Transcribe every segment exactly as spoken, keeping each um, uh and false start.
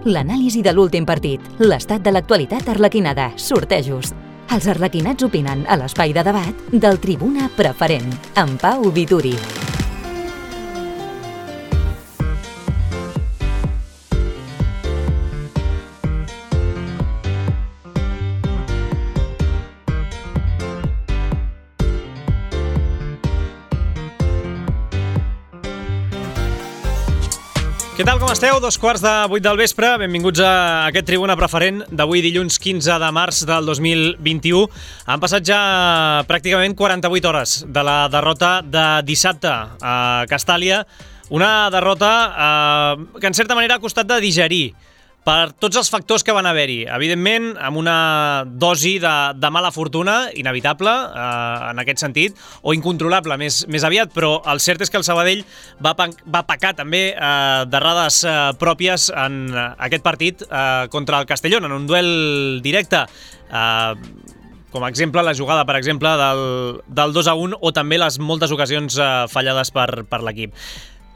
L'anàlisi de l'últim partit, l'estat de l'actualitat arlequinada, sortejos. Els arlequinats opinen a l'espai de debat del Tribuna Preferent, amb Pau Vituri. Què tal, com esteu? Dos quarts de vuit del vespre. Benvinguts a aquest Tribuna Preferent d'avui dilluns quinze de març del dos mil vint-i-u. Han passat ja pràcticament quaranta-vuit hores de la derrota de dissabte a Castàlia. Una derrota eh, que en certa manera ha costat de digerir per tots els factors que van haver-hi. Evidentment, amb una dosi de, de mala fortuna, inevitable, eh, en aquest sentit, o incontrolable, més, més aviat, però el cert és que el Sabadell va, va pecar també eh, d'errades eh, pròpies en aquest partit eh, contra el Castellón, en un duel directe. Eh, com a exemple, la jugada, per exemple, del, del dos a un, o també les moltes ocasions eh, fallades per, per l'equip.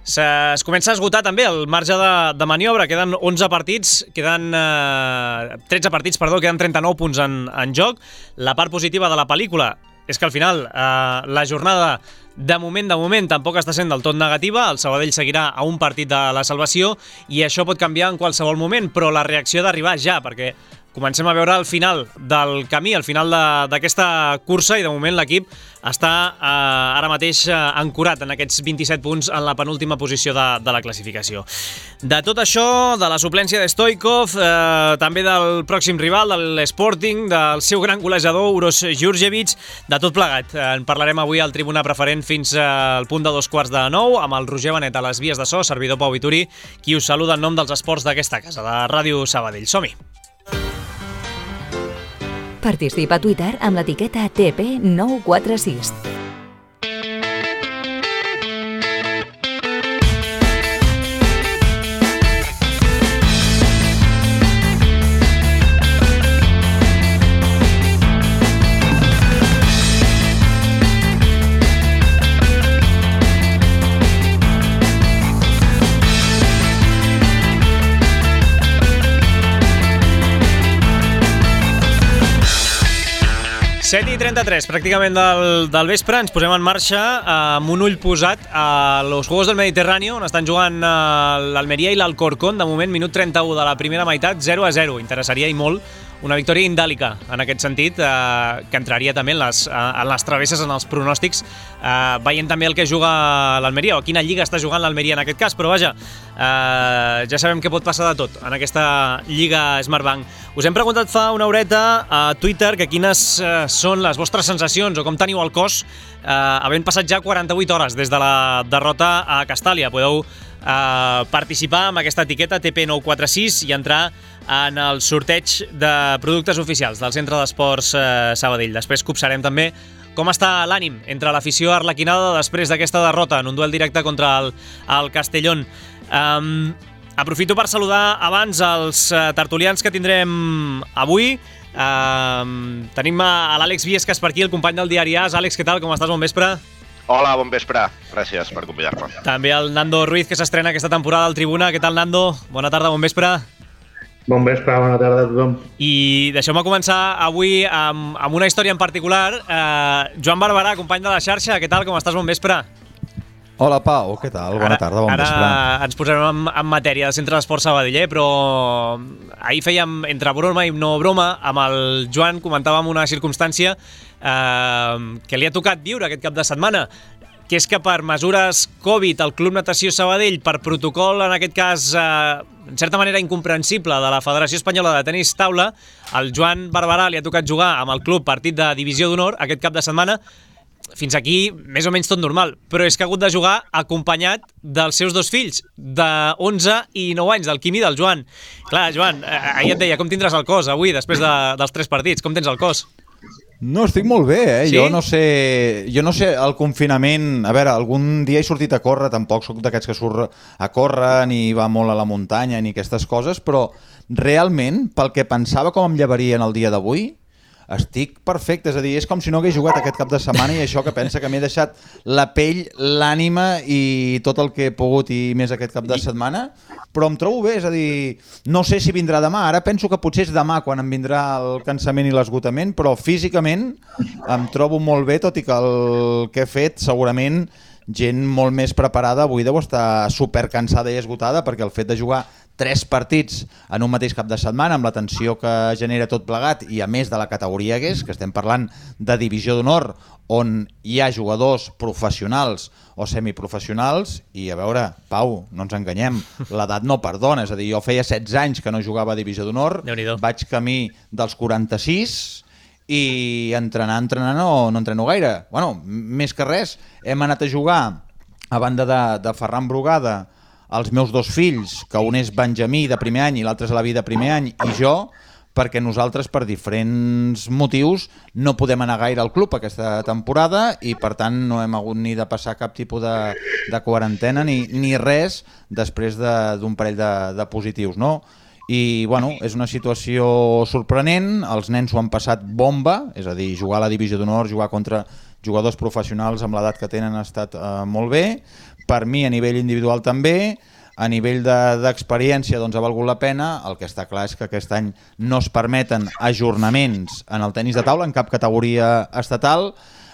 Es comença a esgotar també el marge de, de maniobra, queden onze partits, queden eh, tretze partits, perdó, queden trenta-nou punts en, en joc. La part positiva de la pel·lícula és que al final eh, la jornada de moment, de moment, tampoc està sent del tot negativa. El Sabadell seguirà a un partit de la salvació i això pot canviar en qualsevol moment, però la reacció ha d'arribar ja, perquè comencem a veure el final del camí, el final d'aquesta cursa, i de moment l'equip està eh, ara mateix eh, ancorat en aquests vint-i-set punts en la penúltima posició de, de la classificació. De tot això, de la suplència de Stoikov, eh, també del pròxim rival, de l'Sporting, del seu gran golejador, Uros Jurjevic, de tot plegat. Eh, en parlarem avui al Tribuna Preferent fins al punt de dos quarts de nou, amb el Roger Benet a les vies de so, servidor Pau Vituri, qui us saluda en nom dels esports d'aquesta casa, de Ràdio Sabadell. Som-hi! Participa a Twitter amb l'etiqueta T P nou quatre sis. set i trenta-tres, pràcticament del, del vespre, ens posem en marxa eh, amb un ull posat a los Juegos del Mediterráneo, on estan jugant eh, l'Almeria i l'Alcorcón. De moment, minut trenta-u de la primera meitat, zero a zero. Interessaria i molt una victòria indàlica, en aquest sentit, eh, que entraria també en les, en les travesses, en els pronòstics, eh, veient també el que juga l'Almeria, o quina lliga està jugant l'Almeria en aquest cas, però vaja, eh, ja sabem que pot passar de tot en aquesta lliga Smartbank. Us hem preguntat fa una horeta a Twitter que quines eh, són les vostres sensacions o com teniu el cos eh, havent passat ja quaranta-vuit hores des de la derrota a Castàlia. Podeu eh, participar amb aquesta etiqueta T P nou quatre sis i entrar en el sorteig de productes oficials del Centre d'Esports eh, Sabadell. Després copsarem també com està l'ànim entre l'afició arlequinada després d'aquesta derrota en un duel directe contra el, el Castellón. Um, aprofito per saludar abans els uh, tertulians que tindrem avui. Um, tenim a, a l'Àlex Viescas per aquí, el company del diari A S. Àlex, què tal? Com estàs? Bon vespre. Hola, bon vespre. Gràcies per convidar-me. També el Nando Ruiz, que s'estrena aquesta temporada al Tribuna. Què tal, Nando? Bona tarda, bon vespre. Bon vespre, bona tarda a tothom. I deixeu-me començar avui amb, amb una història en particular. Uh, Joan Barberà, company de la xarxa, què tal? Com estàs? Bon vespre. Hola, Pau, què tal? Bona ara, tarda, bon ara vespre. Ara ens posarem en, en matèria del Centre d'Esports Sabadell, eh? Però ahir fèiem, entre broma i no broma, amb el Joan comentàvem una circumstància eh, que li ha tocat viure aquest cap de setmana, que és que per mesures Covid el Club Natació Sabadell, per protocol, en aquest cas, eh, en certa manera incomprensible, de la Federació Espanyola de Tenis Taula, el Joan Barberà li ha tocat jugar amb el club partit de Divisió d'Honor aquest cap de setmana. Fins aquí, més o menys tot normal, però és que ha hagut de jugar acompanyat dels seus dos fills, de onze i nou anys, del Quim i del Joan. Clar, Joan, ahir et deia, com tindràs el cos avui, després de, dels tres partits? Com tens el cos? No, estic molt bé, eh? Sí? Jo no sé, jo no sé, el confinament... A veure, algun dia he sortit a córrer, tampoc soc d'aquests que surt a córrer, ni va molt a la muntanya, ni aquestes coses, però realment, pel que pensava com em llevaria en el dia d'avui, estic perfecte, és a dir, és com si no hagués jugat aquest cap de setmana i això que pensa que m'he deixat la pell, l'ànima i tot el que he pogut i més aquest cap de setmana, però em trobo bé, és a dir, no sé si vindrà demà, ara penso que potser és demà quan em vindrà el cansament i l'esgotament, però físicament em trobo molt bé, tot i que el que he fet segurament gent molt més preparada avui deu estar supercansada i esgotada, perquè el fet de jugar tres partits en un mateix cap de setmana amb la tensió que genera tot plegat i a més de la categoria que és, que estem parlant de divisió d'honor on hi ha jugadors professionals o semiprofessionals i a veure, Pau, no ens enganyem, l'edat no perdona, és a dir, jo feia setze anys que no jugava a divisió d'honor, vaig camí dels quaranta-sis i entrenar, entrenar no, no entreno gaire. Bueno, més que res, hem anat a jugar a banda de, de Ferran Brugada els meus dos fills, que un és Benjamí de primer any i l'altre és Alaví de primer any i jo, perquè nosaltres per diferents motius no podem anar gaire al club aquesta temporada i per tant no hem hagut ni de passar cap tipus de, de quarantena ni, ni res després d'un parell de, de positius, no? I bueno, és una situació sorprenent, els nens ho han passat bomba, és a dir, jugar a la divisió d'honor, jugar contra jugadors professionals amb l'edat que tenen ha estat eh, molt bé, per mi a nivell individual també, a nivell d'experiència de, doncs ha valgut la pena, el que està clar és que aquest any no es permeten ajornaments en el tenis de taula en cap categoria estatal,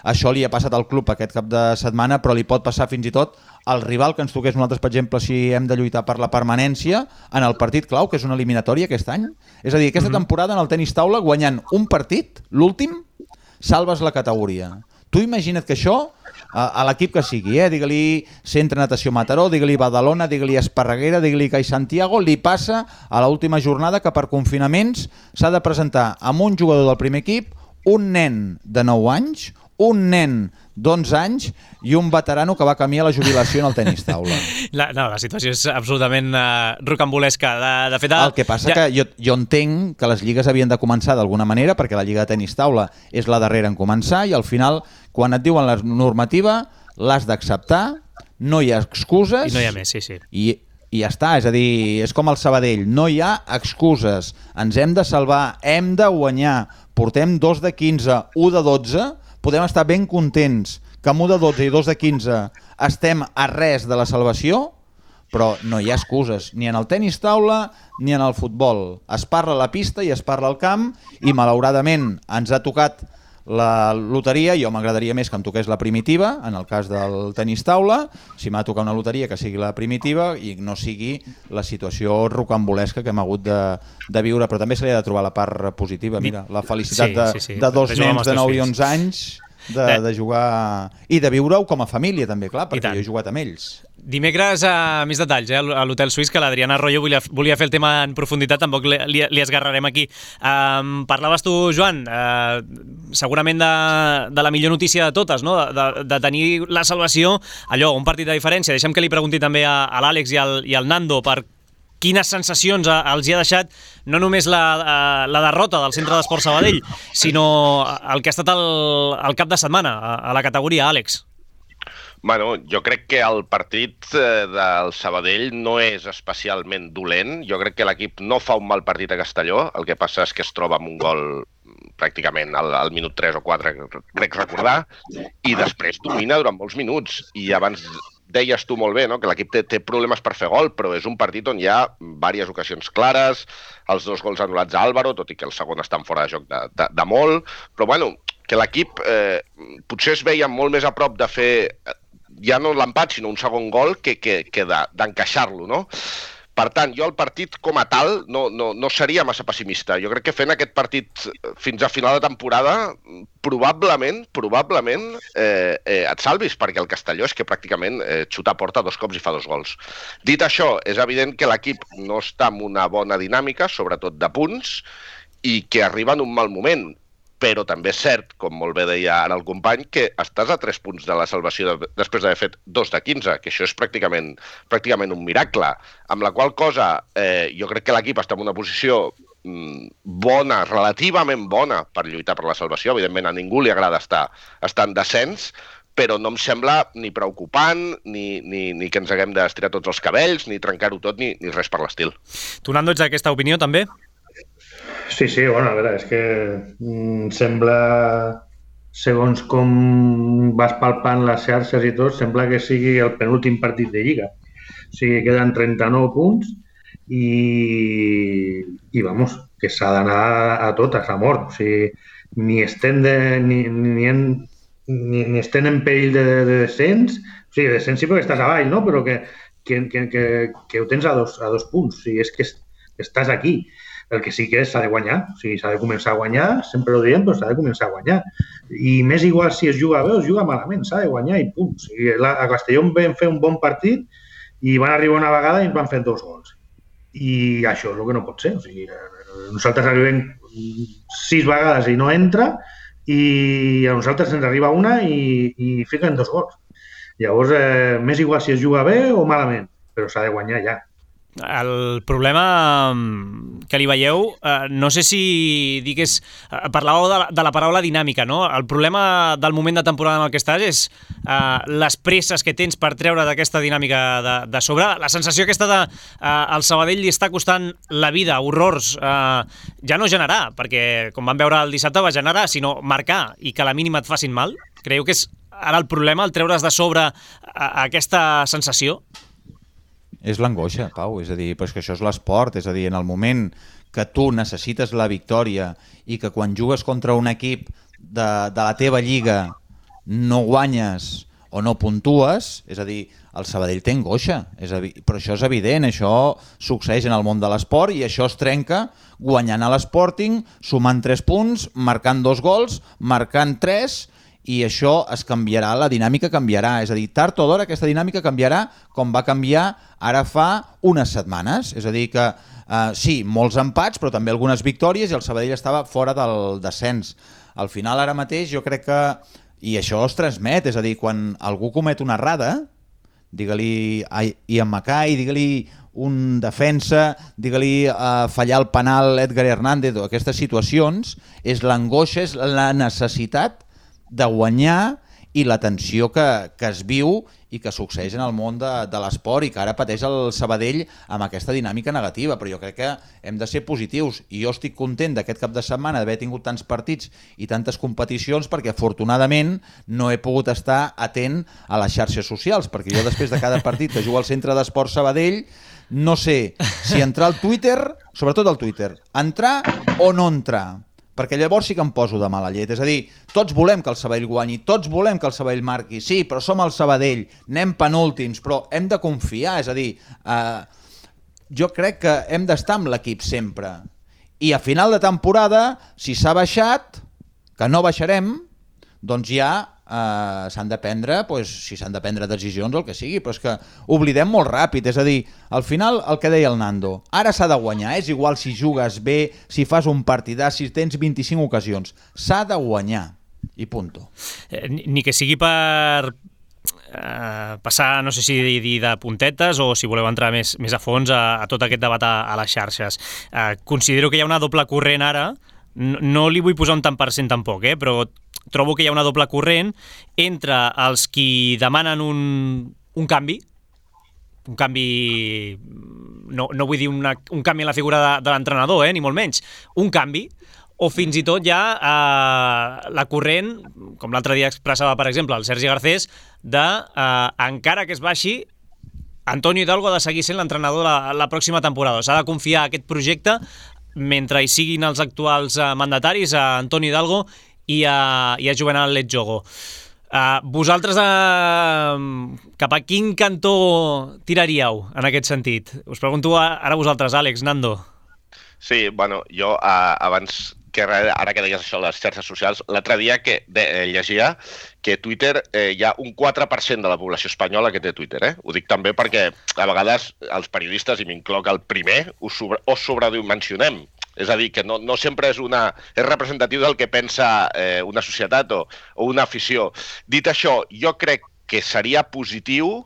això li ha passat al club aquest cap de setmana, però li pot passar fins i tot al rival que ens toqués nosaltres, per exemple, si hem de lluitar per la permanència en el partit clau, que és una eliminatòria aquest any. És a dir, aquesta temporada en el tenis taula, guanyant un partit, l'últim, salves la categoria. Tu imagina't que això, a, a l'equip que sigui, eh? digue-li Centre Natació Mataró, digue-li Badalona, digue-li Esparreguera, digue-li Cai Santiago, li passa a l'última jornada que per confinaments s'ha de presentar amb un jugador del primer equip, un nen de nou anys, un nen d'onze anys i un veterano que va camí a la jubilació en el tenis taula. La, no, la situació és absolutament uh, rocambolesca. De, de fet, el que passa ja... que jo, jo entenc que les lligues havien de començar d'alguna manera, perquè la lliga de tenis taula és la darrera en començar i al final, quan et diuen la normativa, l'has d'acceptar, no hi ha excuses... I no hi ha més, sí, sí. I, i ja està, és a dir, és com el Sabadell, no hi ha excuses, ens hem de salvar, hem de guanyar, portem dos de quinze, un de dotze, podem estar ben contents que amb un de dotze i dos de quinze estem a res de la salvació, però no hi ha excuses, ni en el tenis taula ni en el futbol. Es parla a la pista i es parla al camp i malauradament ens ha tocat la loteria. Jo m'agradaria més que em toqués la primitiva, en el cas del tenis taula, si m'ha de tocar una loteria que sigui la primitiva i no sigui la situació rocambolesca que hem hagut de, de viure, però també se li ha de trobar la part positiva. Mira, la felicitat de, sí, sí, sí. de dos de nens de nou i onze anys de, de jugar i de viure-ho com a família també, clar, perquè jo he jugat amb ells. Dimecres, a més detalls, eh, a l'Hotel Suís, que l'Adriana Arroyo volia, volia fer el tema en profunditat, tampoc li, li, li esgarrarem aquí. Um, parlaves tu, Joan, uh, segurament de, de la millor notícia de totes, no? de, de, de tenir la salvació, allò, un partit de diferència. Deixem que li pregunti també a, a l'Àlex i, al, i al Nando per quines sensacions els hi ha deixat no només la, la derrota del Centre d'Esport Sabadell, sinó el que ha estat el, el cap de setmana a, a la categoria, Àlex. Bueno, jo crec que el partit del Sabadell no és especialment dolent. Jo crec que l'equip no fa un mal partit a Castelló. El que passa és que es troba amb un gol pràcticament al, al minut tres o quatre, crec recordar, i després domina durant molts minuts. I abans deies tu molt bé, no?, que l'equip té, té problemes per fer gol, però és un partit on hi ha diverses ocasions clares, els dos gols anul·lats a Álvaro, tot i que el segon està fora de joc de, de, de molt, però bueno, que l'equip eh, potser es veia molt més a prop de fer ja no l'empat, sinó un segon gol que, que, que d'encaixar-lo, no? Per tant, jo el partit com a tal no, no, no seria massa pessimista. Jo crec que fent aquest partit fins a final de temporada probablement, probablement eh, eh, et salvis, perquè el Castelló és que pràcticament eh, xuta a porta dos cops i fa dos gols. Dit això, és evident que l'equip no està en una bona dinàmica, sobretot de punts, i que arriba en un mal moment. Però també és cert, com molt bé deia ara el company, que estàs a tres punts de la salvació de, després d'haver fet dos de quinze, que això és pràcticament, pràcticament un miracle. Amb la qual cosa, eh, jo crec que l'equip està en una posició mm, bona, relativament bona, per lluitar per la salvació. Evidentment, a ningú li agrada estar, estar en descens, però no em sembla ni preocupant, ni, ni, ni que ens haguem d'estirar tots els cabells, ni trencar-ho tot, ni, ni res per l'estil. Tu, Nando, ets d'aquesta opinió, també? Sí, sí, bueno, a veure, és que mm, sembla, segons com vas palpant les xarxes i tot, sembla que sigui el penúltim partit de Lliga. O sigui, queden trenta-nou punts i, i vamos, que s'ha d'anar a totes, a mort. O sigui, ni estem, de, ni, ni, en, ni, ni estem en perill de, de descens. O sigui, descens sí perquè estàs avall, no? Però que, que, que, que, que ho tens a dos, a dos punts. O sigui, és que estàs aquí. El que sí que s'ha de guanyar. O sigui, s'ha de començar a guanyar, sempre ho diem, però s'ha de començar a guanyar. I més igual si es juga bé o es juga malament, s'ha de guanyar i punt. O sigui, a Castelló vam fer un bon partit i van arribar una vegada i ens van fer dos gols. I això és el que no pot ser. O sigui, nosaltres arribem sis vegades i no entra i a nosaltres ens arriba una i, i fiquen dos gols. Llavors, eh, més igual si es juga bé o malament, però s'ha de guanyar ja. El problema que li veieu, eh, no sé si digués, eh, parlàveu de la, de la paraula dinàmica, no? El problema del moment de temporada en el que estàs és eh, les presses que tens per treure d'aquesta dinàmica de, de sobre. La sensació aquesta de eh, el Sabadell li està costant la vida, horrors, eh, ja no generar, perquè com vam veure el dissabte va generar, sinó marcar i que a la mínima et facin mal. Creieu que és ara el problema, el treure's de sobre eh, aquesta sensació? És l'angoixa, Pau, és a dir, però és que això és l'esport, és a dir, en el moment que tu necessites la victòria i que quan jugues contra un equip de, de la teva lliga no guanyes o no puntues, és a dir, el Sabadell té angoixa, és a dir, però això és evident, això succeeix en el món de l'esport i això es trenca guanyant a l'Sporting, sumant tres punts, marcant dos gols, marcant tres, i això es canviarà, la dinàmica canviarà. És a dir, tard o d'hora aquesta dinàmica canviarà com va canviar ara fa unes setmanes. És a dir que, eh, sí, molts empats, però també algunes victòries i el Sabadell estava fora del descens. Al final, ara mateix, jo crec que, i això es transmet, és a dir, quan algú comet una errada, digue-li Ian Mackay, digue-li un defensa, digue-li uh, fallar el penal Edgar Hernández, o aquestes situacions, és l'angoixa, és la necessitat de guanyar i la tensió que, que es viu i que succeeix en el món de, de l'esport i que ara pateix el Sabadell amb aquesta dinàmica negativa, però jo crec que hem de ser positius i jo estic content d'aquest cap de setmana d'haver tingut tants partits i tantes competicions perquè afortunadament no he pogut estar atent a les xarxes socials, perquè jo després de cada partit que jugo al Centre d'Esport Sabadell no sé si entrar al Twitter, sobretot al Twitter, entrar o no entrar, perquè llavors sí que em poso de mala llet. És a dir, tots volem que el Sabadell guanyi, tots volem que el Sabadell marqui, sí, però som el Sabadell, anem penúltims, però hem de confiar, és a dir, eh, jo crec que hem d'estar amb l'equip sempre. I a final de temporada, si s'ha baixat, que no baixarem, doncs ja eh, s'han de prendre, pues, si s'han de prendre decisions o el que sigui, però és que oblidem molt ràpid, és a dir, al final el que deia el Nando, ara s'ha de guanyar, és igual si jugues bé, si fas un partidà, si tens vint-i-cinc ocasions, s'ha de guanyar, i punto. Eh, ni que sigui per eh, passar, no sé si dir de puntetes o si voleu entrar més, més a fons a, a tot aquest debat a, a les xarxes. Eh, considero que hi ha una doble corrent ara, no, no li vull posar un tant per cent tampoc, eh, però trobo que hi ha una doble corrent entre els qui demanen un, un canvi, un canvi, no, no vull dir una, un canvi en la figura de, de l'entrenador, eh, ni molt menys, un canvi, o fins i tot ja eh, la corrent, com l'altre dia expressava, per exemple, el Sergi Garcés, de, eh, encara que es baixi, Antonio Hidalgo ha de seguir sent l'entrenador la, la pròxima temporada. S'ha de confiar a aquest projecte mentre hi siguin els actuals eh, mandataris, a Antonio Hidalgo i a, i a Juvenal Letjogo. Uh, vosaltres uh, cap a quin cantó tiraríeu en aquest sentit? Us pregunto ara vosaltres, Àlex, Nando. Sí, bueno, jo uh, abans que ara que deies això, les xarxes socials, l'altre dia que de, eh, llegia que Twitter eh, hi ha un quatre per cent de la població espanyola que té Twitter. Eh? Ho dic també perquè a vegades els periodistes, i m'incloc el primer, ho sobre, o sobredimensionem. És a dir, que no, no sempre és, una, és representatiu del que pensa eh, una societat o, o una afició. Dit això, jo crec que seria positiu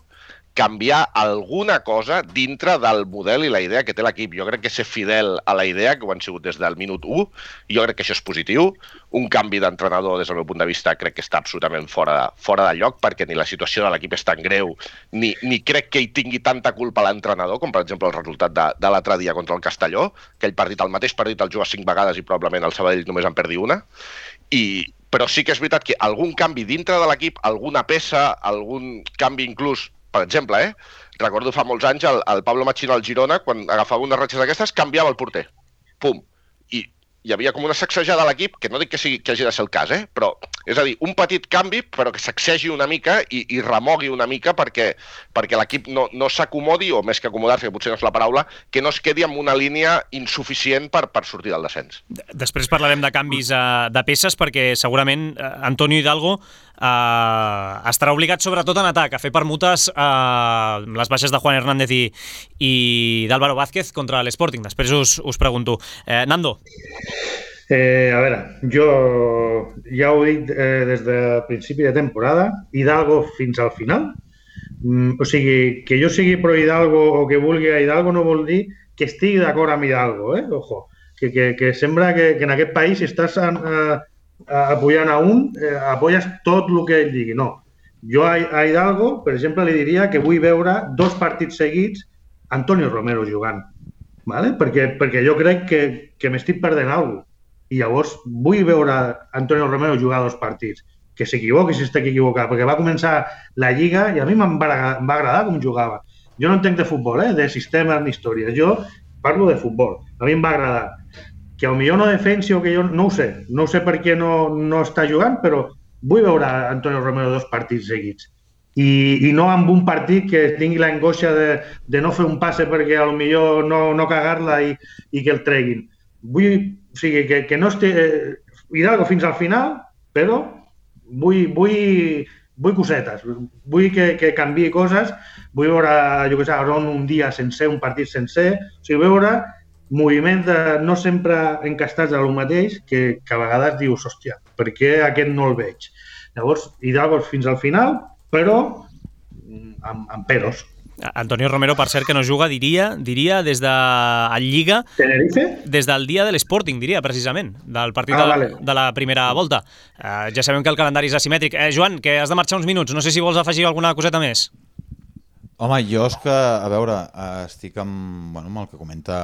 canviar alguna cosa dintre del model i la idea que té l'equip. Jo crec que ser fidel a la idea, que ho han sigut des del minut u, jo crec que això és positiu. Un canvi d'entrenador, des del meu punt de vista, crec que està absolutament fora, fora de lloc, perquè ni la situació de l'equip és tan greu, ni, ni crec que hi tingui tanta culpa l'entrenador, com per exemple el resultat de, de l'altre dia contra el Castelló, aquell partit, el mateix partit el juga cinc vegades i probablement el Sabadell només en perdi una, i però sí que és veritat que algun canvi dintre de l'equip, alguna peça, algun canvi inclús, per exemple, eh? recordo fa molts anys el, el Pablo Machín al Girona, quan agafava unes ratxes d'aquestes, canviava el porter. Pum. I hi havia com una sacsejada a l'equip, que no dic que, sigui, que hagi de ser el cas, eh? però és a dir, un petit canvi, però que sacsegi una mica i, i remogui una mica perquè, perquè l'equip no, no s'acomodi, o més que acomodar-se, que potser no és la paraula, que no es quedi amb una línia insuficient per, per sortir del descens. Després parlarem de canvis uh, de peces, perquè segurament uh, Antonio Hidalgo Uh, estarà obligat sobretot en atac a fer permutes uh, les baixes de Juan Hernández i, i d'Álvaro Vázquez contra l'Sporting. Després us, us pregunto. Eh, Nando. Eh, a veure, jo ja ho he dit eh, des del principi de temporada, Hidalgo fins al final. Mm, o sigui, que jo sigui pro Hidalgo o que vulgui a Hidalgo no vol dir que estigui d'acord amb Hidalgo, eh? Ojo, que, que, que sembla que, que en aquest país si estàs en, eh, apoyant a un, eh, apoyes tot el que ell digui. No. Jo a, a Hidalgo, per exemple, li diria que vull veure dos partits seguits Antonio Romero jugant. ¿Vale? Perquè, perquè jo crec que, que m'estic perdent alguna cosa. I llavors vull veure Antonio Romero jugar dos partits. Que s'equivoqui si està equivocat, perquè va començar la Lliga i a mi em va, em va agradar com jugava. Jo no entenc de futbol, eh? de sistemes ni històries. Jo parlo de futbol. A mi em va agradar. Que potser no defensi o que jo no ho sé, no ho sé per què no, no està jugant, però vull veure Antonio Romero dos partits seguits. I, i no amb un partit que tingui l'angoixa de, de no fer un passe perquè potser no, no cagar-la i, i que el treguin. Vull, o sigui, que, que no estigui eh, Hidalgo fins al final, però vull, vull, vull cosetes, vull que, que canviï coses, vull veure, jo què sé, un dia sencer, un partit sencer, o sigui, veure moviments de, no sempre encastats a lo mateix, que, que a vegades dius, hòstia, per què aquest no el veig? Llavors, Hidalgo fins al final, però amb, amb peros. Antonio Romero, per cert, que no juga, diria, diria des de a Lliga... Tenerife? Des del dia de l'Sporting, diria, precisament, del partit ah, de, vale. de la primera volta. Uh, ja sabem que el calendari és asimètric. Eh, Joan, que has de marxar uns minuts. No sé si vols afegir alguna coseta més. Home, jo és que, a veure, estic amb, bueno, amb el que comenta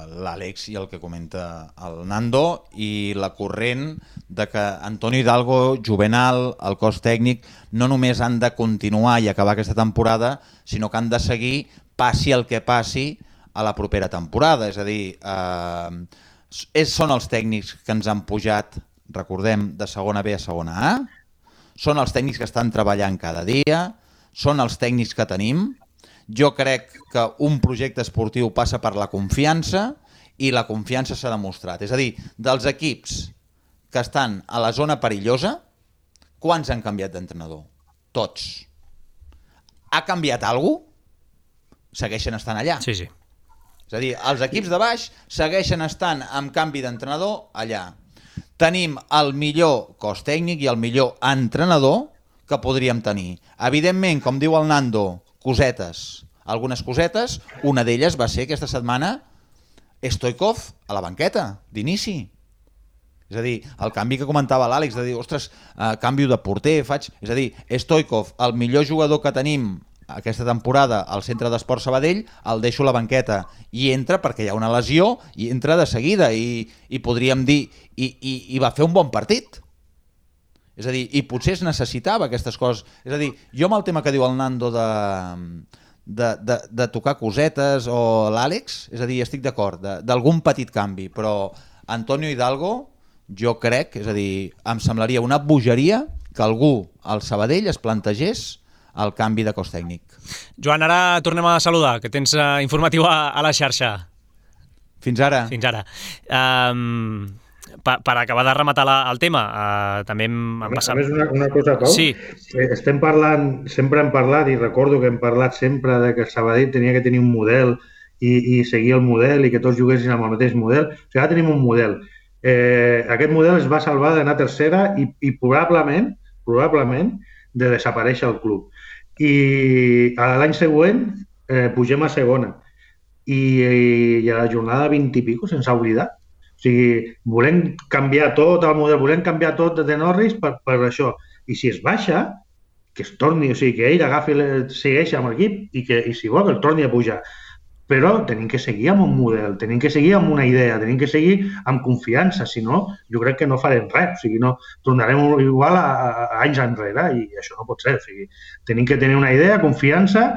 l'Àlex i el que comenta el Nando i la corrent de que Antonio Hidalgo, Juvenal, el cos tècnic, no només han de continuar i acabar aquesta temporada, sinó que han de seguir passi el que passi a la propera temporada. És a dir, eh, són els tècnics que ens han pujat, recordem, de segona B a segona A, són els tècnics que estan treballant cada dia, són els tècnics que tenim. Jo crec que un projecte esportiu passa per la confiança i la confiança s'ha demostrat. És a dir, dels equips que estan a la zona perillosa, quants han canviat d'entrenador? Tots. Ha canviat alguna cosa? Segueixen estant allà. Sí, sí. És a dir, els equips de baix segueixen estant amb canvi d'entrenador allà. Tenim el millor cos tècnic i el millor entrenador que podríem tenir. Evidentment, com diu el Nando, cosetes, algunes cosetes, una d'elles va ser aquesta setmana Stoikov a la banqueta, d'inici. És a dir, el canvi que comentava l'Àlex, de dir, ostres, eh, canvio de porter, faig... És a dir, Stoikov, el millor jugador que tenim aquesta temporada al centre d'Esport Sabadell, el deixo a la banqueta i entra perquè hi ha una lesió i entra de seguida i, i podríem dir, i, i, i va fer un bon partit. És a dir, i potser es necessitava aquestes coses. És a dir, jo amb el tema que diu el Nando de, de, de, de tocar cosetes o l'Àlex, és a dir, estic d'acord, d'algun petit canvi, però Antonio Hidalgo, jo crec, és a dir, em semblaria una bogeria que algú al Sabadell es plantegés el canvi de cos tècnic. Joan, ara tornem a saludar, que tens uh, informatiu a, a la xarxa. Fins ara. Fins ara. Um... Per, per acabar de rematar la, el tema, uh, també hem passat... A més, una, una cosa, Pau. Sí. Estem parlant, sempre hem parlat, i recordo que hem parlat sempre de que el Sabadell tenia que tenir un model i, i seguir el model i que tots juguessin amb el mateix model. O sigui, ara tenim un model. Eh, aquest model es va salvar d'anar a tercera i, i probablement, probablement de desaparèixer el club. i l'any següent eh, pugem a segona i, i a la jornada vint i pico se'ns ha oblidat. O sigui, volem canviar tot el model, volem canviar tot de Norris per, per això. I si es baixa, que es torni, o sigui, que ell agafi, segueixi amb l'equip i que i si vol que el torni a pujar. Però tenim que seguir amb un model, tenim que seguir amb una idea, tenim que seguir amb confiança, si no, jo crec que no farem res, o sigui, no, tornarem igual a, a, a anys enrere i això no pot ser, o sigui, tenim que tenir una idea, confiança,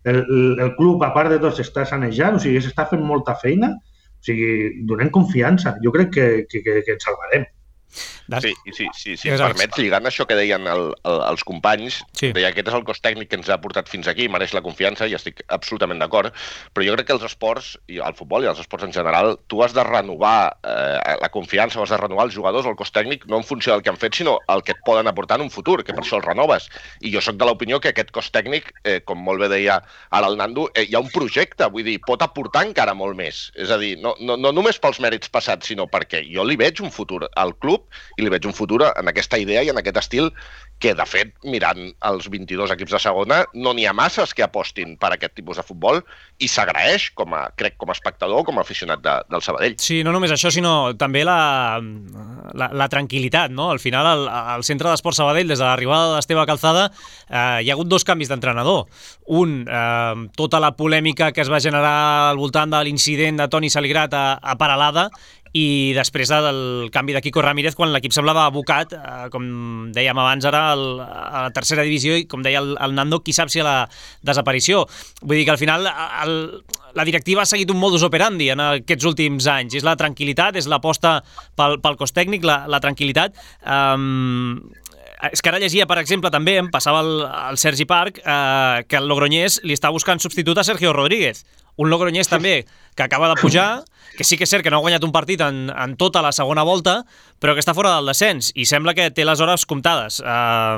el, el club, a part de tot, s'està sanejant, o sigui, s'està fent molta feina, o sigui, donem confiança, jo crec que, que, que, que ens salvarem. Sí, sí, sí, si em permets, lligant això que deien el, el, els companys, sí. Deia aquest és el cos tècnic que ens ha portat fins aquí, mereix la confiança i estic absolutament d'acord, però jo crec que els esports, i el futbol i els esports en general, tu has de renovar eh, la confiança, has de renovar els jugadors o el cos tècnic no en funció del que han fet, sinó el que et poden aportar en un futur, que per això els renoves. I jo sóc de l'opinió que aquest cos tècnic, eh, com molt bé deia ara el Nando, eh, hi ha un projecte, vull dir, pot aportar encara molt més. És a dir, no, no, no només pels mèrits passats, sinó perquè jo li veig un futur al club i li veig un futur en aquesta idea i en aquest estil que, de fet, mirant els vint-i-dos equips de segona, no n'hi ha masses que apostin per aquest tipus de futbol i s'agraeix, com a, crec, com a espectador, com a aficionat de, del Sabadell. Sí, no només això, sinó també la, la, la tranquil·litat, no? Al final, al, al centre d'Esport Sabadell, des de l'arribada d'Esteve Calzada, eh, hi ha hagut dos canvis d'entrenador. Un, eh, tota la polèmica que es va generar al voltant de l'incident de Toni Saligrat a, a Peralada, i després del canvi de Quico Ramírez quan l'equip semblava abocat, eh, com dèiem abans ara, el, a la tercera divisió i com deia el, el Nando, qui sap si a la desaparició. Vull dir que al final el, la directiva ha seguit un modus operandi en aquests últims anys. És la tranquil·litat, és l'aposta pel, pel cos tècnic, la, la tranquil·litat. Um, és que ara llegia, per exemple, també em passava el, el Sergi Parc, eh, que el Logroñés li està buscant substitut a Sergio Rodríguez, un Logroñés també que acaba de pujar, que sí que és cert que no ha guanyat un partit en, en tota la segona volta, però que està fora del descens i sembla que té les hores comptades eh,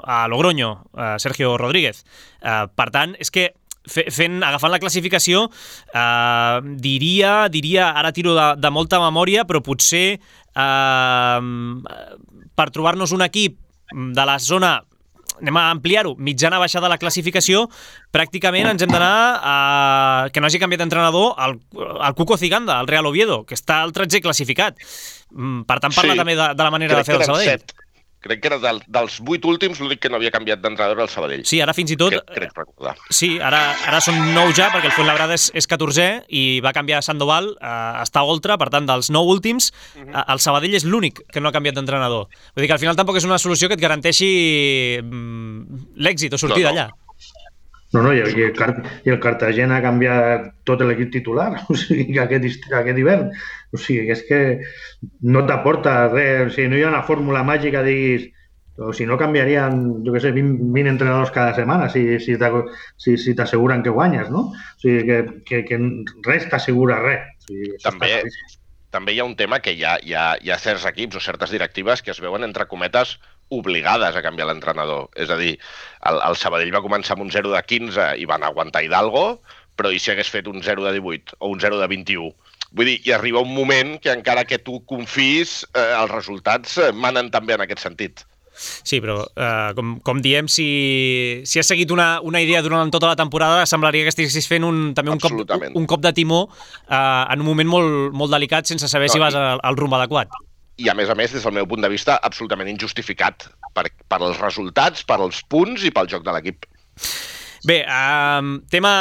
a Logroño, eh, Sergio Rodríguez. Eh, per tant, és que fent, agafant la classificació, eh, diria, diria, ara tiro de, de molta memòria, però potser eh, per trobar-nos un equip de la zona, anem a ampliar-ho, mitjana baixada de la classificació, pràcticament ens hem d'anar a que no hagi canviat d'entrenador al, al Cuco Ciganda, al Real Oviedo, que està al tretzè classificat. Per tant, parla sí, també de, de la manera de fer el Sabadell. Set. Crec que era del, dels vuit últims l'únic que no havia canviat d'entrenador al Sabadell. Sí, ara fins i tot... Crec, crec recordar. Sí, ara, ara són nou ja, perquè el Fuenlabrada és, és catorzè i va canviar a Sandoval, eh, està a Oltra, per tant, dels nou últims, uh-huh. eh, el Sabadell és l'únic que no ha canviat d'entrenador. Vull dir que al final tampoc és una solució que et garanteixi mm, l'èxit o sortir no, no. d'allà. No, no, i el, i, el, i el Cartagena ha canviat tot l'equip titular, o sigui, aquest, aquest hivern. O sigui, és que no t'aporta res, o sigui, no hi ha una fórmula màgica, diguis, o si no canviarien, jo què sé, vint, vint entrenadors cada setmana si, si t'asseguren si, si que guanyes, no? O sigui, que, que, que res t'assegura res. O sigui, també, també hi ha un tema que hi ha, hi, ha, hi ha certs equips o certes directives que es veuen, entre cometes, obligades a canviar l'entrenador. És a dir, el, el Sabadell va començar amb un zero de quinze i van aguantar Hidalgo, però i si hagués fet un zero de divuit o un zero de vint-i-u? Vull dir, i arriba un moment que encara que tu confis, eh, els resultats manen també en aquest sentit. Sí, però eh, com, com diem, si, si has seguit una, una idea durant tota la temporada, semblaria que estiguessis fent un, també un cop, un cop de timó eh, en un moment molt, molt delicat sense saber no, si vas al, al rumb adequat. I a més a més, des del meu punt de vista, absolutament injustificat per, per els resultats, per els punts i pel joc de l'equip. Bé, eh, tema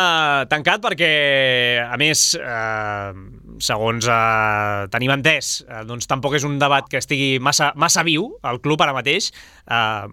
tancat perquè, a més, eh, segons eh, tenim entès, eh, doncs tampoc és un debat que estigui massa, massa viu al club ara mateix, eh,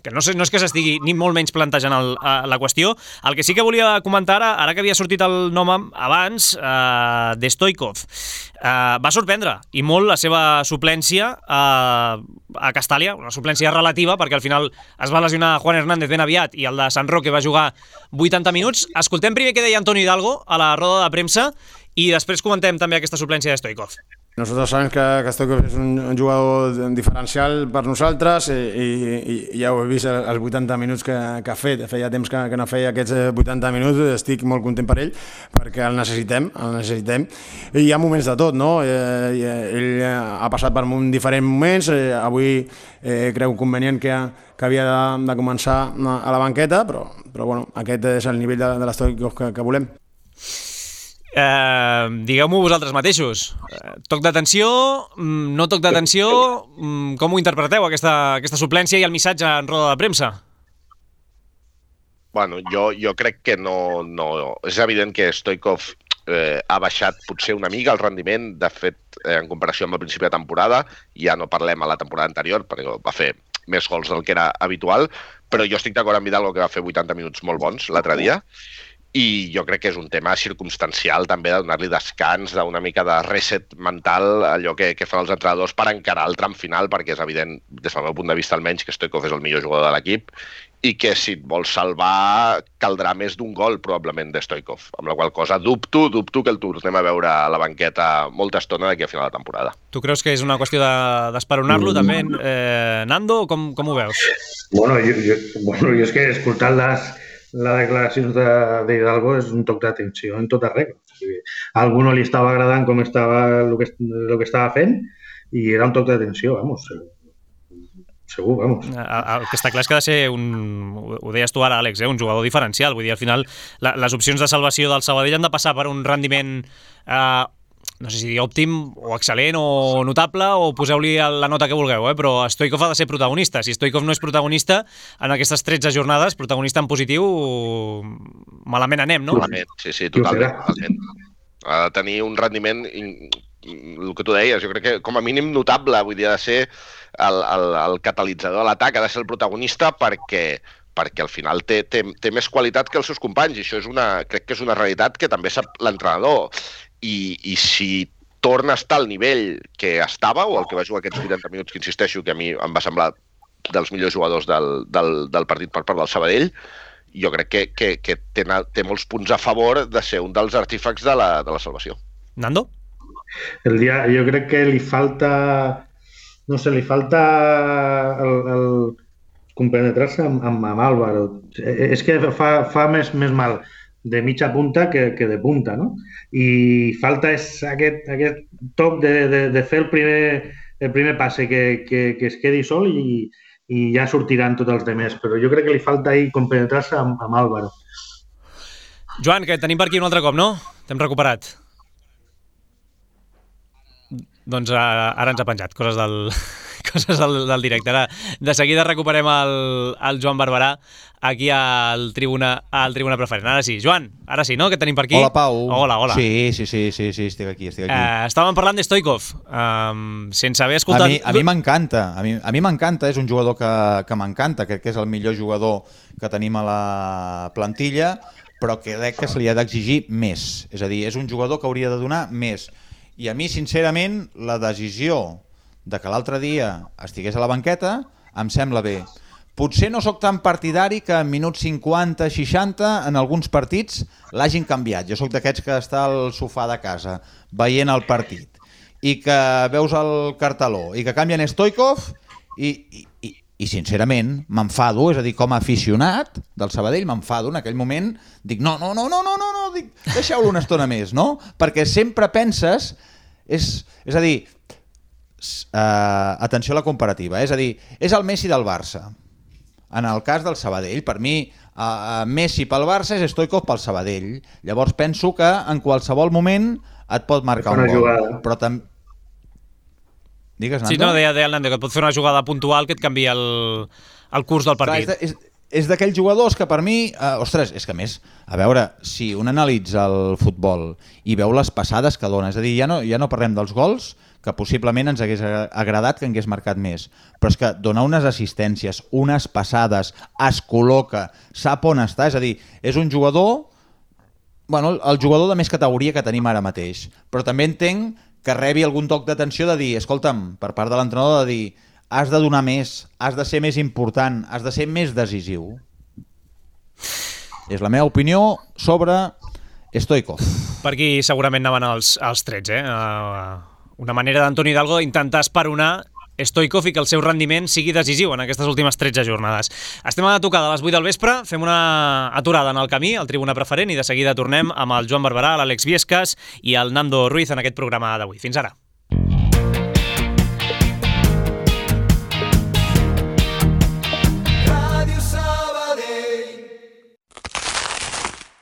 que no, sé, no és que s'estigui ni molt menys plantejant el, uh, la qüestió. El que sí que volia comentar ara, ara que havia sortit el nom abans, uh, de Stoikov, uh, va sorprendre i molt la seva suplència uh, a Castàlia, una suplència relativa perquè al final es va lesionar Juan Hernández ben aviat i el de Sant Roque va jugar vuitanta minuts. Escoltem primer què deia Antonio Hidalgo a la roda de premsa i després comentem també aquesta suplència de Stoikov. Nosaltres sabem que, que Stoikov és un, un jugador diferencial per nosaltres i, i, i ja ho he vist els vuitanta minuts que, que ha fet. Feia temps que, que no feia aquests vuitanta minuts, estic molt content per ell perquè el necessitem, el necessitem. I hi ha moments de tot, no? Eh, ell ha passat per diferents moments, eh, avui eh, creu convenient que, que havia de, de començar a la banqueta, però, però bueno, aquest és el nivell de, de l'Stoikov que, que volem. Eh, digueu-m'ho vosaltres mateixos. Eh, toc d'atenció, no toc d'atenció, com ho interpreteu, aquesta, aquesta suplència i el missatge en roda de premsa? Bueno, jo, jo crec que no, no... És evident que Stoikov eh, ha baixat potser una mica el rendiment, de fet, eh, en comparació amb el principi de temporada, ja no parlem a la temporada anterior, perquè va fer més gols del que era habitual, però jo estic d'acord amb Hidalgo que va fer vuitanta minuts molt bons l'altre dia, i jo crec que és un tema circumstancial també de donar-li descans, d'una mica de reset mental, allò que, que fan els entrenadors per encarar el tram final, perquè és evident, des del meu punt de vista almenys, que Stoikov és el millor jugador de l'equip i que si et vols salvar caldrà més d'un gol probablement de Stoikov, amb la qual cosa dubto, dubto que el tornem a veure a la banqueta molta estona d'aquí a final de temporada. Tu creus que és una qüestió d'esperonar-lo de, també, eh, Nando? Com, com ho veus? Bueno, jo, jo, bueno, jo és que escoltant les la declaració d'Hidalgo és un toc d'atenció en tota regla. O sigui, a algú no li estava agradant com estava el que, el que estava fent i era un toc d'atenció, vamos, segur, vamos. El que està clar és que ha de ser un, ho deies tu ara, Àlex, eh, un jugador diferencial. Vull dir, al final, la, les opcions de salvació del Sabadell han de passar per un rendiment eh, no sé si dir òptim o excel·lent o notable, o poseu-li la nota que vulgueu, eh? Però Stoikov ha de ser protagonista. Si Stoikov no és protagonista en aquestes tretze jornades, protagonista en positiu, malament anem, no? Malament, sí, sí, totalment. totalment. Ha de tenir un rendiment, el que tu deies, jo crec que com a mínim notable, vull dir, ha de ser el, el, el catalitzador de l'atac, ha de ser el protagonista perquè perquè al final té, té, té més qualitat que els seus companys, i això és una, crec que és una realitat que també sap l'entrenador. I, i si torna a estar al nivell que estava, o el que va jugar aquests vuitanta minuts, que insisteixo que a mi em va semblar dels millors jugadors del, del, del partit per part del Sabadell, jo crec que, que, que té, té molts punts a favor de ser un dels artífecs de la, de la salvació. Nando? El dia, jo crec que li falta, no sé, li falta el, el compenetrar-se amb, amb, amb Álvaro. És que fa, fa més, més mal de mitja punta que, que de punta, no? I falta és aquest, aquest toc de, de, de fer el primer, el primer passe, que, que, que es quedi sol i, i ja sortiran tots els demés. Però jo crec que li falta ahir compenetrar-se amb, amb Álvaro. Joan, que tenim per aquí un altre cop, no? T'hem recuperat. Doncs ara, ara ens ha penjat, coses del, coses del, del directe. Ara, de seguida recuperem el, el Joan Barberà aquí al Tribuna, al Tribuna Preferent. Ara sí, Joan, ara sí, no? Que tenim per aquí. Hola, Pau. Hola, hola. Sí, sí, sí, sí, sí estic aquí, estic aquí. Eh, estàvem parlant de Stoikov, um, sense haver escoltat... A mi, a mi m'encanta, a mi, a mi m'encanta, és un jugador que, que m'encanta, crec que és el millor jugador que tenim a la plantilla, però crec que se li ha d'exigir més. És a dir, és un jugador que hauria de donar més. I a mi, sincerament, la decisió de que l'altre dia estigués a la banqueta em sembla bé. Potser no sóc tan partidari que en minuts cinquanta, seixanta, en alguns partits l'hagin canviat. Jo sóc d'aquests que està al sofà de casa veient el partit i que veus el carteló i que canvien Stoikov i, i, i, i sincerament m'enfado, és a dir, com a aficionat del Sabadell m'enfado en aquell moment, dic no, no, no, no, no, no, no dic, deixeu-lo una estona més, no? Perquè sempre penses, és, és a dir, uh, atenció a la comparativa, és a dir, és el Messi del Barça. En el cas del Sabadell, per mi, uh, Messi pel Barça és Stoikov pel Sabadell. Llavors penso que en qualsevol moment et pot marcar un gol. Però també... Digues, Nando? Sí, no, deia, deia el Nando, que et pot fer una jugada puntual que et canvia el, el curs del partit. Clar, és, és, és d'aquells jugadors que per mi... Eh, ostres, és que a més, a veure, si un analitza el futbol i veu les passades que dona, és a dir, ja no, ja no parlem dels gols, que possiblement ens hagués agradat que hagués marcat més, però és que dona unes assistències, unes passades, es col·loca, sap on està, és a dir, és un jugador, bueno, el jugador de més categoria que tenim ara mateix, però també entenc que rebi algun toc d'atenció de dir, escolta'm, per part de l'entrenador, de dir, has de donar més, has de ser més important, has de ser més decisiu. És la meva opinió sobre Stoikov. Per aquí segurament anaven els, els trets, eh? Uh, una manera d'Antoni Hidalgo d'intentar esperonar Stoichkov i que el seu rendiment sigui decisiu en aquestes últimes tretze jornades. Estem a tocar de les vuit del vespre, fem una aturada en el camí, al Tribuna Preferent, i de seguida tornem amb el Joan Barberà, l'Àlex Viescas i el Nando Ruiz en aquest programa d'avui. Fins ara.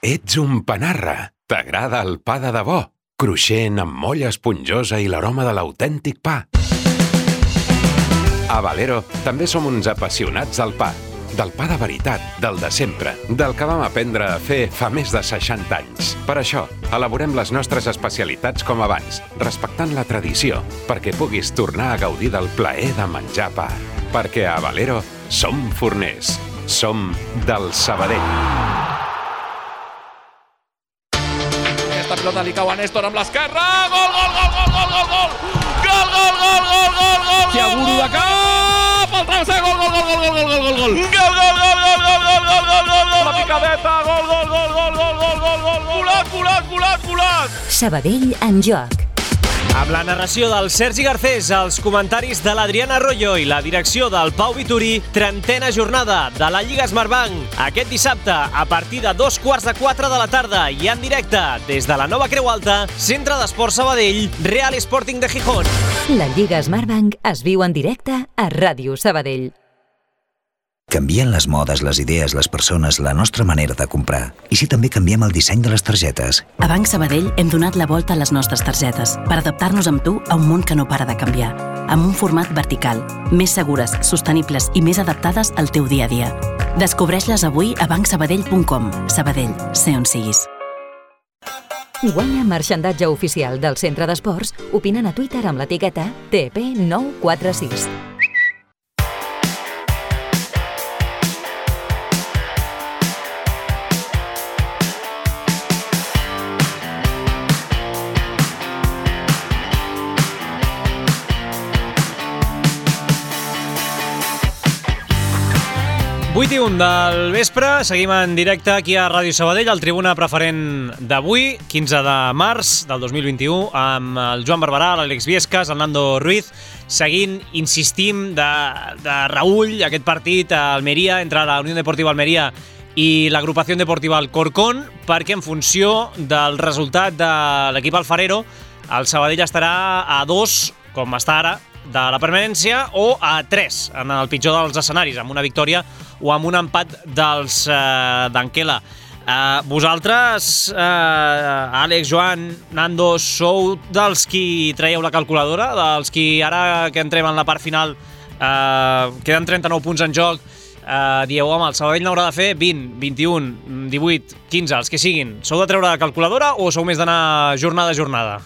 Ets un panarra. T'agrada el pa de debò, cruixent amb molla esponjosa i l'aroma de l'autèntic pa. A Valero també som uns apassionats del pa, del pa de veritat, del de sempre, del que vam aprendre a fer fa més de seixanta anys. Per això, elaborem les nostres especialitats com abans, respectant la tradició, perquè puguis tornar a gaudir del plaer de menjar pa. Perquè a Valero som forners, som del Sabadell. Aquesta pilota li cau a Néstor amb l'esquerra. Gol, gol, gol, gol, gol, gol, gol! Gol, gol, gol, gol, gol, gol! Thiago de cap! El travesser, gol, gol, gol, gol, gol, gol, gol, gol! Gol, gol, gol, gol, gol, gol, gol, gol, gol, gol! La picadeta, gol, gol, gol, gol, gol, gol, gol, gol! Volat, volat, volat, volat! Sabadell en joc. Amb la narració del Sergi Garcés, els comentaris de l'Adriana Arroyo i la direcció del Pau Vituri, trentena jornada de la Lliga Smartbank. Aquest dissabte, a partir de dos quarts de quatre de la tarda i en directe des de la Nova Creu Alta, Centre d'Esports Sabadell, Real Sporting de Gijón. La Lliga Smartbank es viu en directe a Ràdio Sabadell. Canvien les modes, les idees, les persones, la nostra manera de comprar. I si també canviem el disseny de les targetes? A Banc Sabadell hem donat la volta a les nostres targetes per adaptar-nos amb tu a un món que no para de canviar. Amb un format vertical, més segures, sostenibles i més adaptades al teu dia a dia. Descobreix-les avui a banc sabadell punt com. Sabadell, sé on siguis. Guanya marxandatge oficial del Centre d'Esports opinant a Twitter amb l'etiqueta T P nou quatre sis. vuit i un del vespre, seguim en directe aquí a Ràdio Sabadell, al Tribuna Preferent d'avui, quinze de març del dos mil vint-i-u, amb el Joan Barberà, l'Àlex Viescas, el Nando Ruiz, seguint, insistim, de, de Raúl, aquest partit a Almeria, entre la Unió Deportiva Almeria i l'Agrupació Deportiva Alcorcón, perquè en funció del resultat de l'equip alfarero, el Sabadell estarà a dos, com està ara, de la permanència, o a tres, en el pitjor dels escenaris, amb una victòria o amb un empat dels eh, d'Anquela. Eh, vosaltres, eh, Àlex, Joan, Nando, sou dels qui traieu la calculadora, dels qui ara que entrem en la part final, eh, queden trenta-nou punts en joc, eh, dieu, home, el Sabadell n'haurà de fer vint, vint-i-un, divuit, quinze, els que siguin. Sou de treure la calculadora o sou més d'anar jornada a jornada?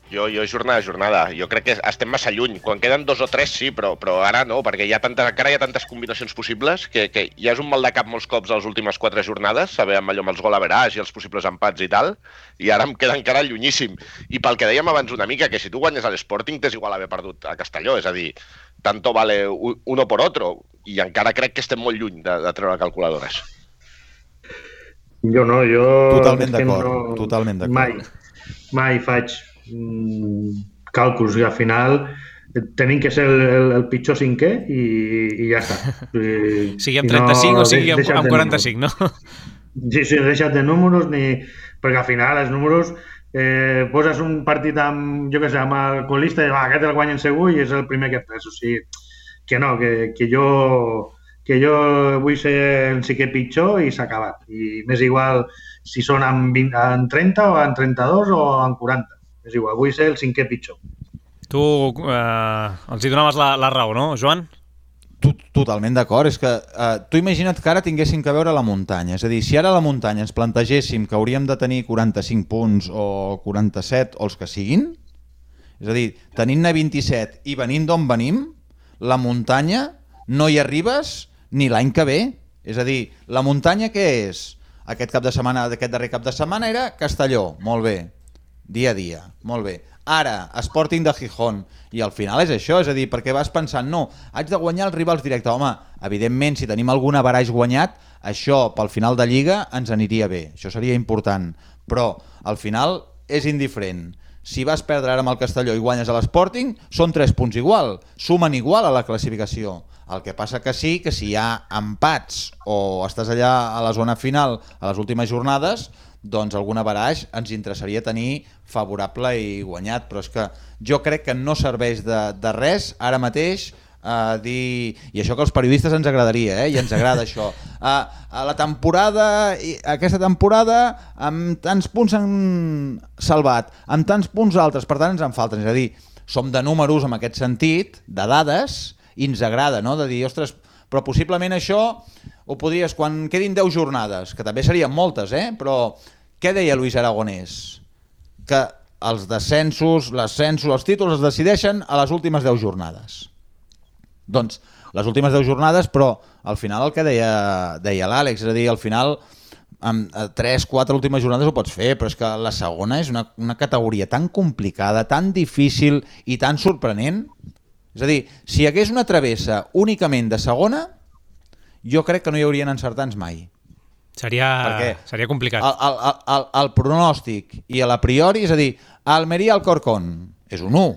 Jo, jo jornada a jornada. Jo crec que estem massa lluny. Quan queden dos o tres, sí, però, però ara no, perquè hi ha tanta, encara hi ha tantes combinacions possibles que, que ja és un mal de cap molts cops a les últimes quatre jornades, saber amb allò amb els gol average i els possibles empats i tal, i ara em queda encara llunyíssim. I pel que dèiem abans una mica, que si tu guanyes a l'Sporting t'és igual haver perdut a Castelló, és a dir, tanto vale uno por otro, i encara crec que estem molt lluny de, de treure calculadores. Jo no, jo... Totalment d'acord, no, totalment d'acord. Mai, mai faig càlculs i al final tenim que ser el, el, el pitjor cinquè i, i ja està. I, sigui amb trenta-cinc no, o sigui amb, amb quaranta-cinc, no? Sí, sí, deixa't de números, ni... perquè al final els números eh, poses un partit amb, jo què sé, amb el colista i va, aquest el guanyen segur i és el primer que fes. O sigui, que no, que, que jo que jo vull ser el cinquè pitjor i s'ha acabat. I m'és igual si són en, vint, en trenta o en trenta-dos o en quaranta. És igual, vull ser el cinquè pitjor. Tu eh, els hi donaves la, la raó, no, Joan? Totalment d'acord. És que eh, tu imagina't que ara tinguéssim que veure la muntanya. És a dir, si ara a la muntanya ens plantegéssim que hauríem de tenir quaranta-cinc punts o quaranta-set o els que siguin, és a dir, tenint-ne vint-i-set i venint d'on venim, la muntanya no hi arribes ni l'any que ve. És a dir, la muntanya què és? Aquest cap de setmana, aquest darrer cap de setmana era Castelló, molt bé. Dia a dia, molt bé. Ara, Sporting de Gijón, i al final és això, és a dir, perquè vas pensant, no, haig de guanyar els rivals directes. Home, evidentment, si tenim algun averaix guanyat, això pel final de Lliga ens aniria bé, això seria important, però al final és indiferent. si vas perdre ara amb el Castelló i guanyes a l'Sporting, són tres punts igual, sumen igual a la classificació. El que passa que sí, que si hi ha empats o estàs allà a la zona final a les últimes jornades, doncs algun averaix ens interessaria tenir favorable i guanyat, però és que jo crec que no serveix de, de res ara mateix Uh, dir, i això que als periodistes ens agradaria, eh? I ens agrada això, uh, a la temporada, aquesta temporada amb tants punts han salvat, amb tants punts altres, per tant ens en falten, és a dir, som de números en aquest sentit, de dades, i ens agrada, no? De dir, ostres, però possiblement això ho podries, quan quedin deu jornades, que també serien moltes, eh? Però què deia Luis Aragonès? Que els descensos, l'ascensos, els títols es decideixen a les últimes deu jornades. Doncs les últimes deu jornades, però al final el que deia, deia l'Àlex, és a dir, al final amb tres quatre últimes jornades ho pots fer, però és que la segona és una, una categoria tan complicada, tan difícil i tan sorprenent. És a dir, si hi hagués una travessa únicament de segona, jo crec que no hi haurien encertants mai. Seria, seria complicat. El, el, el, el pronòstic i a la priori, és a dir, Almeria-Alcorcón és un u,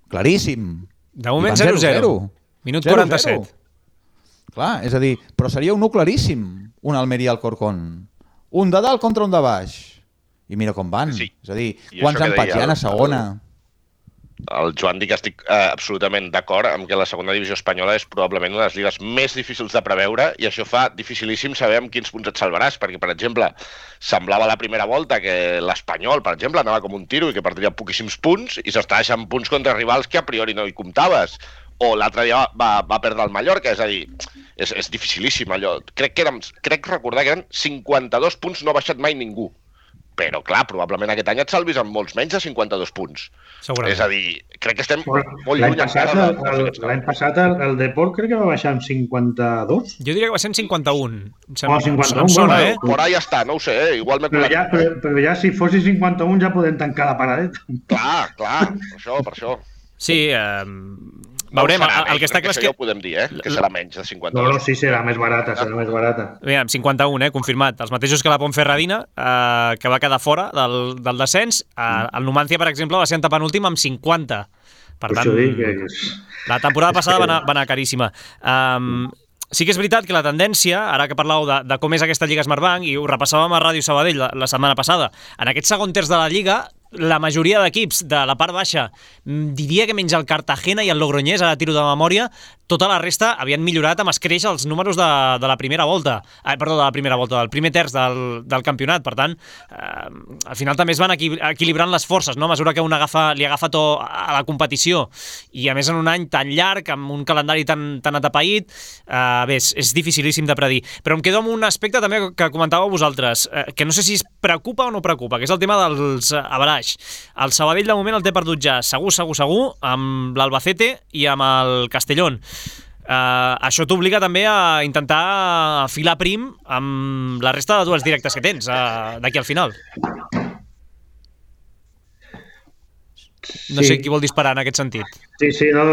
claríssim. De moment zero zero. Minut quaranta-set. Clar, és a dir, però seria un u claríssim, un Almeria-Alcorcón. Un de dalt contra un de baix. I mira com van. Sí. És a dir, quants empats hi ha a segona? El Joan dic que estic eh, absolutament d'acord amb que la segona divisió espanyola és probablement una de les lligues més difícils de preveure i això fa dificilíssim saber amb quins punts et salvaràs, perquè, per exemple, semblava la primera volta que l'Espanyol, per exemple, anava com un tiro i que perdria poquíssims punts i s'està deixant punts contra rivals que a priori no hi comptaves. O l'altre dia va, va perdre el Mallorca, és a dir, és, és dificilíssim allò. Crec que érem, crec recordar que eren cinquanta-dos punts, no ha baixat mai ningú. Però, clar, probablement aquest any et salvis amb molts menys de cinquanta-dos punts. Segurament. És a dir, crec que estem molt lluny. Passat, el, el, l'any passat el, el Deport crec que va baixar amb cinquanta-dos. Jo diria que va ser en cinquanta-un. Oh, cinquanta-un, sona, eh? Por ahí ja està, no ho sé, eh? Igual m'he però, ja, però, però ja si fossi cinquanta-un ja podem tancar la paradeta. Clar, clar, per això, per això. Sí, eh... veurem, no serà, el, el que està clar és que... Ja ho podem dir, eh? Que serà menys de cinquanta-dos. No, no, sí, serà més barata, serà més barata. Mira, cinquanta-un, eh, confirmat. Els mateixos que la Ponferradina, eh, que va quedar fora del, del descens. Eh, el Numancia, per exemple, va ser antepenúltim amb cinquanta. Per tant, és... la temporada passada va anar, va anar caríssima. Um, sí que és veritat que la tendència, ara que parlàveu de, de com és aquesta Lliga Smartbank, i ho repassàvem a Ràdio Sabadell la, la setmana passada, en aquest segon terç de la Lliga, la majoria d'equips de la part baixa, diria que menys el Cartagena i el Logroñés, ara tiro de memòria, tota la resta havien millorat amb escreix els números de, de la primera volta, eh, perdó, de la primera volta, del primer terç del, del campionat. Per tant, eh, al final també es van equi equilibrant les forces, no? A mesura que un agafa, li agafa to a la competició, i a més en un any tan llarg, amb un calendari tan, tan atapeït, eh, bé, és, és dificilíssim de predir. Però em quedo amb un aspecte també que comentàveu vosaltres, eh, que no sé si es preocupa o no preocupa, que és el tema dels averaix. El Sabadell de moment el té perdut ja segur, segur, segur, amb l'Albacete i amb el Castellón. Uh, això t'obliga també a intentar afilar prim amb la resta de duels directes que tens uh, d'aquí al final. No sé qui vol disparar en aquest sentit. Sí, sí, no,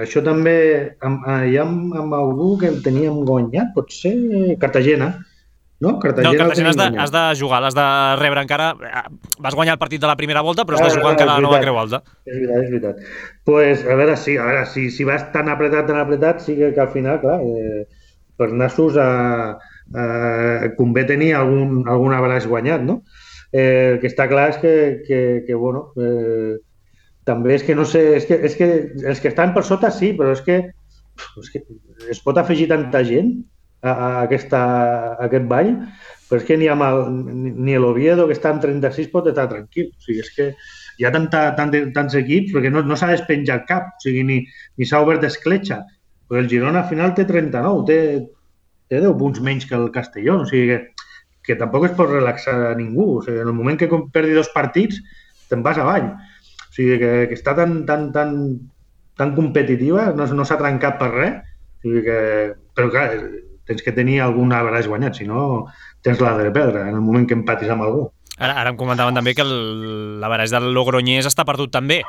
això també, amb, ja amb, amb algú que el teníem guanyat, potser Cartagena. No, Cartagena, no, Cartagena has de, has de jugar, l'has de rebre encara. Vas guanyar el partit de la primera volta, però has de jugar ah, encara la nova creu alta. És veritat, és veritat. Pues, a veure, sí, a veure si, si vas tan apretat, tan apretat, sí que, que al final, clar, eh, per nassos eh, eh, convé tenir algun, algun abraç guanyat, no? Eh, el que està clar és que, que, que bueno, eh, també és que no sé, és que, és que els que estan per sota sí, però és que, és que es pot afegir tanta gent a, a, aquesta, a aquest ball, però és que ni, amb el, ni l'Oviedo, que està en trenta-sis, pot estar tranquil. O sigui, és que hi ha tanta, tant, tants equips, perquè no, no s'ha despenjat cap, o sigui, ni, ni s'ha obert escletxa. Perquè el Girona al final té trenta-nou, té, té deu punts menys que el Castellón, o sigui que, que tampoc es pot relaxar a ningú. O sigui, en el moment que perdi dos partits, te'n vas avall. O sigui, que, que està tan, tan, tan, tan competitiva, no, no s'ha trencat per res, o sigui que, però clar, tens que tenir algun average guanyat, si no tens la de perdre en el moment que empatis amb algú. Ara, ara em comentaven també que l'average del Logroñés està perdut també,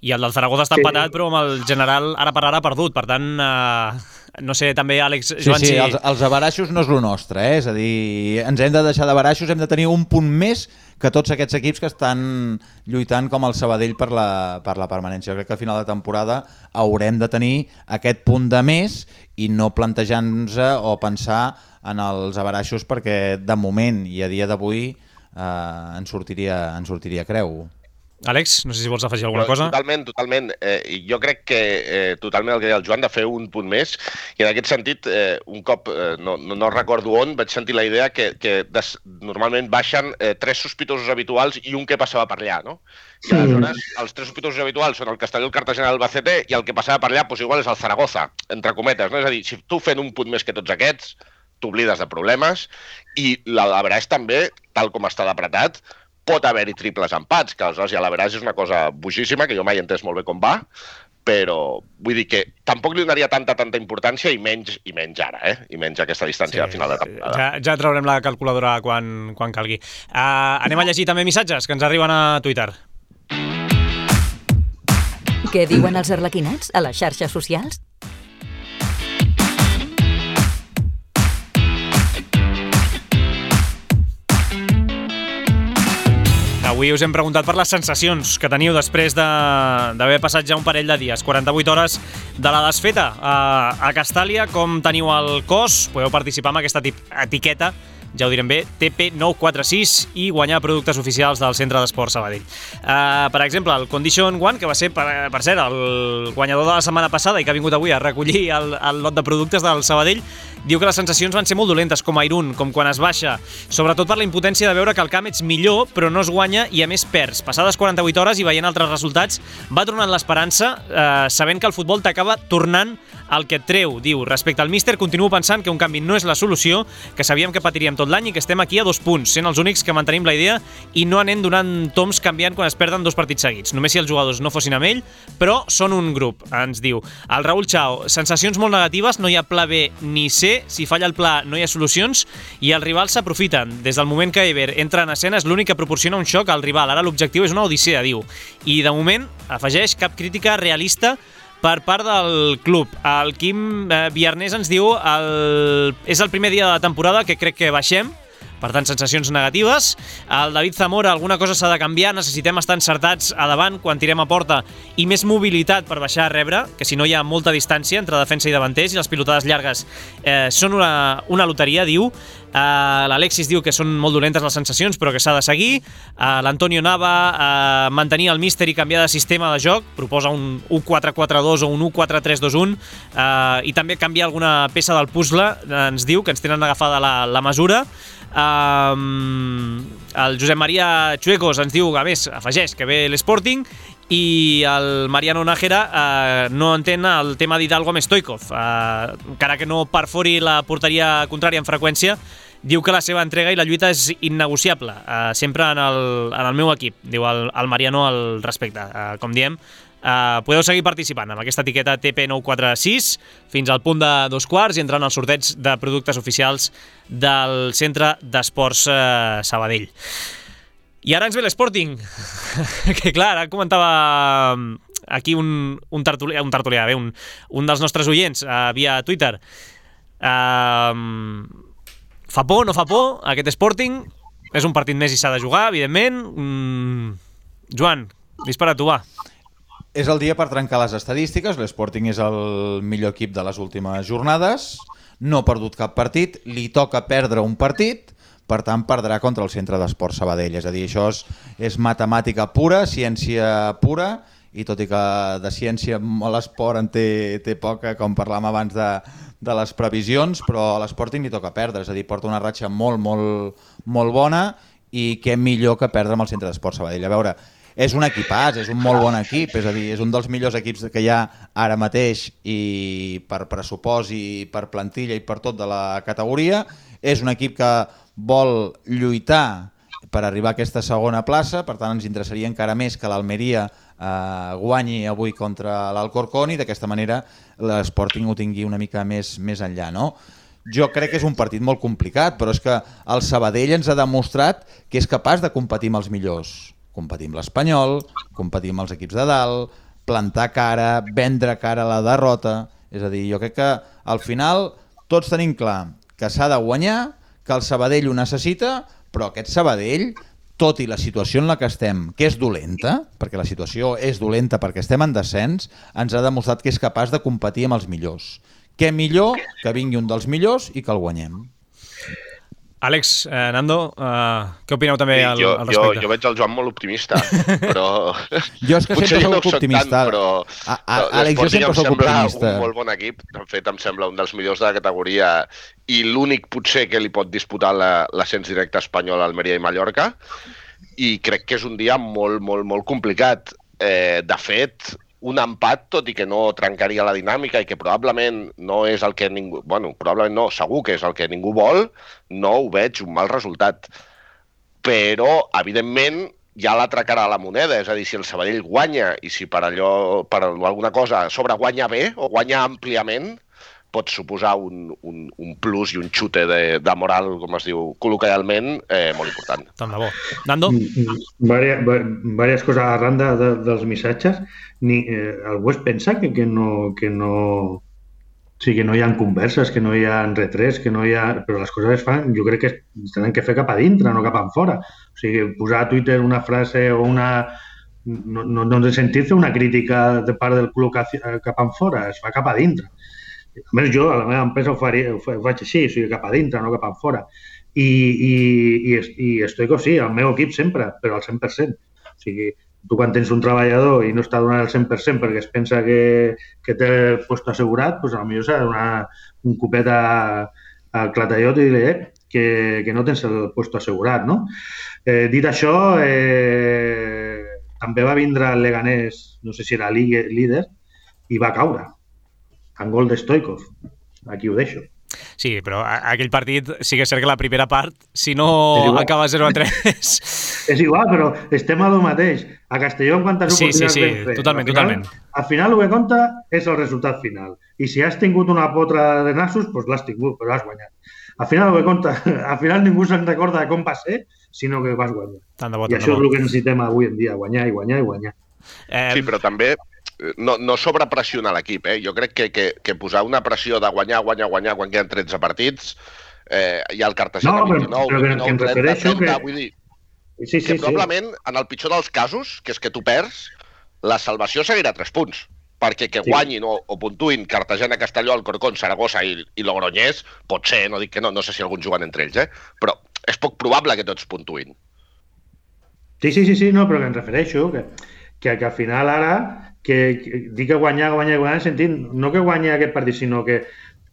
i el del Zaragoza està sí. empatat, però amb el general ara per ara perdut, per tant eh, no sé, també, Àlex, Sí, Joan, sí, si... els, els abaraixos no és el nostre, eh? És a dir, ens hem de deixar d'abaraixos, hem de tenir un punt més que tots aquests equips que estan lluitant com el Sabadell per la, per la permanència. Jo crec que al final de temporada haurem de tenir aquest punt de més i no plantejar-nos o pensar en els abaraixos perquè de moment i a dia d'avui eh, ens sortiria, ens sortiria creu. Àlex, no sé si vols afegir alguna cosa. Totalment, totalment. Eh, jo crec que eh, totalment el que deia el Joan, de fer un punt més, i en aquest sentit, eh, un cop, eh, no, no, no recordo on, vaig sentir la idea que, que des, normalment baixen eh, tres sospitosos habituals i un que passava per allà, no? I aleshores, els tres sospitosos habituals són el Castelló, el Cartagena i el Albacete, i el que passava per allà, doncs igual és el Zaragoza, entre cometes, no? És a dir, si tu fent un punt més que tots aquests, t'oblides de problemes, i l'Average també, tal com està d'apretat, pot haver-hi triples empats, que aleshores ja l'Average és una cosa boixíssima, que jo mai he entès molt bé com va, però vull dir que tampoc li donaria tanta, tanta importància i menys i menys ara, eh? I menys aquesta distància sí, a final de temporada. Ja, ja traurem la calculadora quan, quan calgui. Uh, anem a llegir també missatges que ens arriben a Twitter. Què diuen els arlequinats a les xarxes socials? Avui us hem preguntat per les sensacions que teniu després d'haver passat ja un parell de dies, quaranta-vuit hores de la desfeta a, a Castàlia. Com teniu el cos? Podeu participar amb aquesta etiqueta, ja ho direm bé, T P nou quatre sis i guanyar productes oficials del Centre d'Esport Sabadell. Uh, per exemple, el Condition One, que va ser, per, per cert, el guanyador de la setmana passada i que ha vingut avui a recollir el, el lot de productes del Sabadell, diu que les sensacions van ser molt dolentes, com a Irún, com quan es baixa, sobretot per la impotència de veure que al camp ets millor, però no es guanya i a més perds. Passades quaranta-vuit hores i veient altres resultats, va tornant l'esperança, eh, sabent que el futbol t'acaba tornant el que et treu. Diu, respecte al míster, continuo pensant que un canvi no és la solució, que sabíem que patiríem tot l'any i que estem aquí a dos punts, sent els únics que mantenim la idea i no anem donant toms canviant quan es perden dos partits seguits. Només si els jugadors no fossin amb ell, però són un grup, ens diu. El Raül Chao, sensacions molt negatives, no hi ha pla B ni C, si falla el pla no hi ha solucions i els rivals s'aprofiten. Des del moment que Ever entra en escena és l'únic que proporciona un xoc al rival. Ara l'objectiu és una odissea, diu. I de moment, afegeix, cap crítica realista per part del club. El Quim eh, Viarnés ens diu el... és el primer dia de la temporada que crec que baixem, per tant, sensacions negatives. El David Zamora, alguna cosa s'ha de canviar, necessitem estar encertats a davant quan tirem a porta i més mobilitat per baixar a rebre, que si no hi ha molta distància entre defensa i davanters i les pilotades llargues eh, són una, una loteria, diu. Uh, L'Alexis diu que són molt dolentes les sensacions però que s'ha de seguir. uh, L'Antonio Nava, uh, mantenir el míster i canviar de sistema de joc, proposa un u quatre quatre dos o un u quatre tres dos un, uh, i també canviar alguna peça del puzzle, uh, ens diu que ens tenen agafada la, la mesura. Um, el Josep Maria Chuecos ens diu, a més, afegeix que ve l'Sporting, i el Mariano Nájera eh, no entén el tema d'Hidalgo amb Stoikov, eh, encara que no perfori la porteria contrària en freqüència. Diu que la seva entrega i la lluita és innegociable, eh, sempre en el, en el meu equip, diu el, el Mariano al respecte. Eh, com diem, eh, podeu seguir participant amb aquesta etiqueta T P nou quatre sis fins al punt de dos quarts i entrant als sorteig de productes oficials del Centre d'Esports eh, Sabadell. I ara ens ve l'Sporting, que clar, ara comentava aquí un, un tertulià, un, tertulià bé, un, un dels nostres oients uh, via Twitter. Uh, fa por, no fa por, aquest Sporting? És un partit més i s'ha de jugar, evidentment. Mm, Joan, dispara tu, va. És el dia per trencar les estadístiques, l'Sporting és el millor equip de les últimes jornades, no ha perdut cap partit, li toca perdre un partit, per tant perdrà contra el Centre d'Esport Sabadell. És a dir, això és, és matemàtica pura, ciència pura, i tot i que de ciència l'esport en té, té poca, com parlàvem abans de, de les previsions, però a l'Sporting li toca perdre, és a dir, porta una ratxa molt, molt, molt bona, i què millor que perdre amb el Centre d'Esport Sabadell. A veure, és un equipàs, és un molt bon equip, és a dir, és un dels millors equips que hi ha ara mateix i per pressupost i per plantilla i per tot de la categoria. És un equip que vol lluitar per arribar a aquesta segona plaça, per tant ens interessaria encara més que l'Almeria eh, guanyi avui contra l'Alcorcón i d'aquesta manera l'Sporting ho tingui una mica més, més enllà, no? Jo crec que és un partit molt complicat, però és que el Sabadell ens ha demostrat que és capaç de competir amb els millors. Competir amb l'Espanyol, competir amb els equips de dalt, plantar cara, vendre cara a la derrota, És a dir, jo crec que al final tots tenim clar que s'ha de guanyar, que el Sabadell ho necessita, però aquest Sabadell, tot i la situació en la que estem, que és dolenta, perquè la situació és dolenta perquè estem en descens, ens ha demostrat que és capaç de competir amb els millors. Què millor que vingui un dels millors i que el guanyem. Àlex, eh, Nando, eh, què opineu també sí, al, jo, al respecte? Jo, jo veig el Joan molt optimista, però... Jo és que potser sempre no soc optimista. Tant, però... A, a, Àlex, jo sempre soc optimista. Un molt bon equip, de fet em sembla un dels millors de la categoria i l'únic potser que li pot disputar l'ascens directe espanyol a Almeria i Mallorca, i crec que és un dia molt, molt, molt complicat. Eh, de fet, un empat, tot i que no trencaria la dinàmica i que probablement no és el que ningú... Bueno, probablement no, segur que és el que ningú vol, no ho veig un mal resultat. Però, evidentment, hi ha l'altra cara de la moneda, és a dir, si el Sabadell guanya i si per allò, per alguna cosa a sobre guanya bé o guanya àmpliament, pot suposar un, un, un plus i un xute de, de moral, com es diu col·loquialment, eh, molt important. Tant de bo. Nando? Vàries, vàries coses arran de, de, dels missatges. Ni, eh, algú es pensa que, que no... Que no... O sigui, que no hi ha converses, que no hi ha retrets, que no hi ha... Però les coses es fan, jo crec que es tenen que fer cap a dintre, no cap a fora. O sigui, posar a Twitter una frase o una... No, no, no de sentir-se una crítica de part del club cap a fora, es fa cap a dintre. A més, jo a la meva empresa ho, faria, ho faig així, o sigui, cap a dintre, no cap a fora. I, i, i, i Stoico sí, el meu equip sempre, però al cent per cent. O sigui, tu quan tens un treballador i no està donant el cent per cent perquè es pensa que, que té el lloc assegurat, doncs potser s'ha de donar un copet al clatallot i dir eh, que, que no tens el lloc assegurat, no? Eh, dit això, eh, també va vindre el Leganés, no sé si era líder, i va caure. En gol de Stoikov. Aquí ho deixo. Sí, però aquell partit sí que és cert que la primera part, si no acaba zero a tres... És igual, però estem a lo mateix. A Castelló, en quantes sí, oportunitats sí, sí, ben fet. totalment, al final, totalment. Al final el que compta és el resultat final. I si has tingut una potra de nassos, doncs l'has tingut, però has guanyat. Al final el que compta, al final ningú se'n recorda de com va ser, sinó que vas guanyar. Tant de bo, I això és el que necessitem avui en dia, guanyar i guanyar i guanyar. Eh... Sí, però també... No, no sobrepressionar l'equip, eh? Jo crec que, que, que posar una pressió de guanyar, guanyar, guanyar quan queden tretze partits, eh, hi ha el cartejat no, a vint-i-nou, però, però vint-i-nou, trenta, trenta, que... vull dir sí, sí, que probablement, sí. en el pitjor dels casos, que és que tu perds, la salvació seguirà tres punts, perquè que guanyin sí. o, o puntuïn Cartagena, Castelló, Alcorcón, Saragossa i, i Logroñés, pot ser, no dic que no, no sé si alguns juguen entre ells, eh? Però és poc probable que tots puntuïn. Sí, sí, sí, sí, no, però que em refereixo, que, que, que al final ara que, que dic que guanyar, guanyar, guanyar, sentit, no que guanyar aquest partit, sinó que,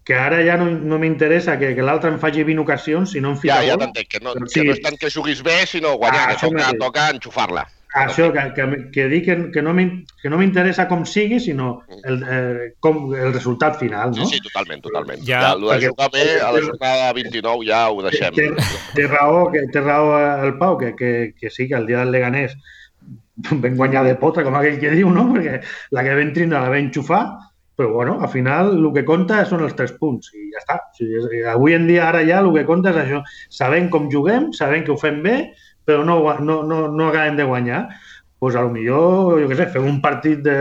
que ara ja no, no m'interessa que, que l'altre em faci vint ocasions, si no em fica ja, gol. Ja t'entenc, que, no, però, que sí. no és tant que juguis bé, sinó guanyar, ah, que toca, toca enxufar-la. Això, que, que, que dic que, que no m'interessa com sigui, sinó el, eh, com, el resultat final, no? Sí, sí, totalment, totalment. Ja, ja, el de jugar bé, a la jornada vint-i-nou ja ho deixem. Té, té, raó, que, té raó el Pau, que, que, que sí, que el dia del Leganés vam guanyar de pota, com aquell que diu, no? Perquè la que vam tindre la vam enxufar, però bueno, al final el que compta són els tres punts i ja està. O sigui, avui en dia, ara ja, el que compta és això. Sabem com juguem, sabem que ho fem bé, però no, no, no, no acabem de guanyar. Doncs pues, potser, jo què sé, fem un partit de,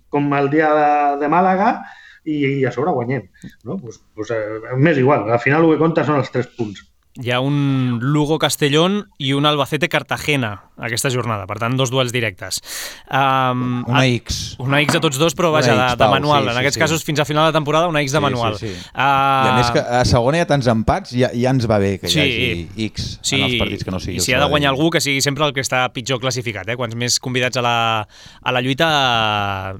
com el dia de, de Màlaga i, i a sobre guanyem. No? Pues, pues, eh, m'és igual, al final el que compta són els tres punts. Hi ha un Lugo-Castellón i un Albacete-Cartagena aquesta jornada, per tant, dos duels directes. Um, una X. Una X a tots dos, però vaja, de, de manual. Sí, sí, en aquests sí. casos, fins a final de temporada, una X de manual. Sí, sí, sí. Uh... I a més que a segona hi ha tants empats, ja, ja ens va bé que hi sí. hagi X sí. en els partits que no sigui. I si ha de guanyar algú, que sigui sempre el que està pitjor classificat. Eh? Quants més convidats a la, a la lluita,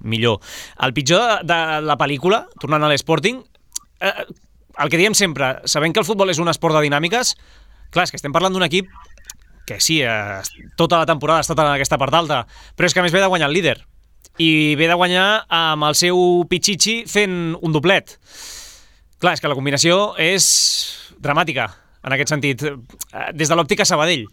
millor. El pitjor de la pel·lícula, tornant a l'Sporting, eh, el que diem sempre, sabent que el futbol és un esport de dinàmiques, clar, és que estem parlant d'un equip que sí, eh, tota la temporada ha estat en aquesta part alta, però és que a més ve de guanyar el líder. I ve de guanyar amb el seu Pichichi fent un doblet. Clar, és que la combinació és dramàtica, en aquest sentit, des de l'òptica Sabadell.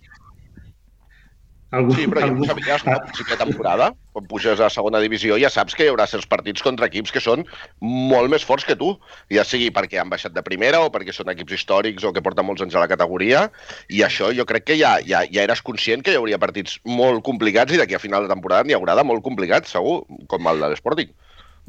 Algú, sí, però algú... ja, ja a principi de temporada, quan puges a segona divisió, ja saps que hi haurà certs partits contra equips que són molt més forts que tu, ja sigui perquè han baixat de primera o perquè són equips històrics o que porten molts anys a la categoria, i això jo crec que ja, ja, ja eres conscient que hi hauria partits molt complicats i d'aquí a final de temporada n'hi haurà de molt complicats, segur, com el de l'Sporting.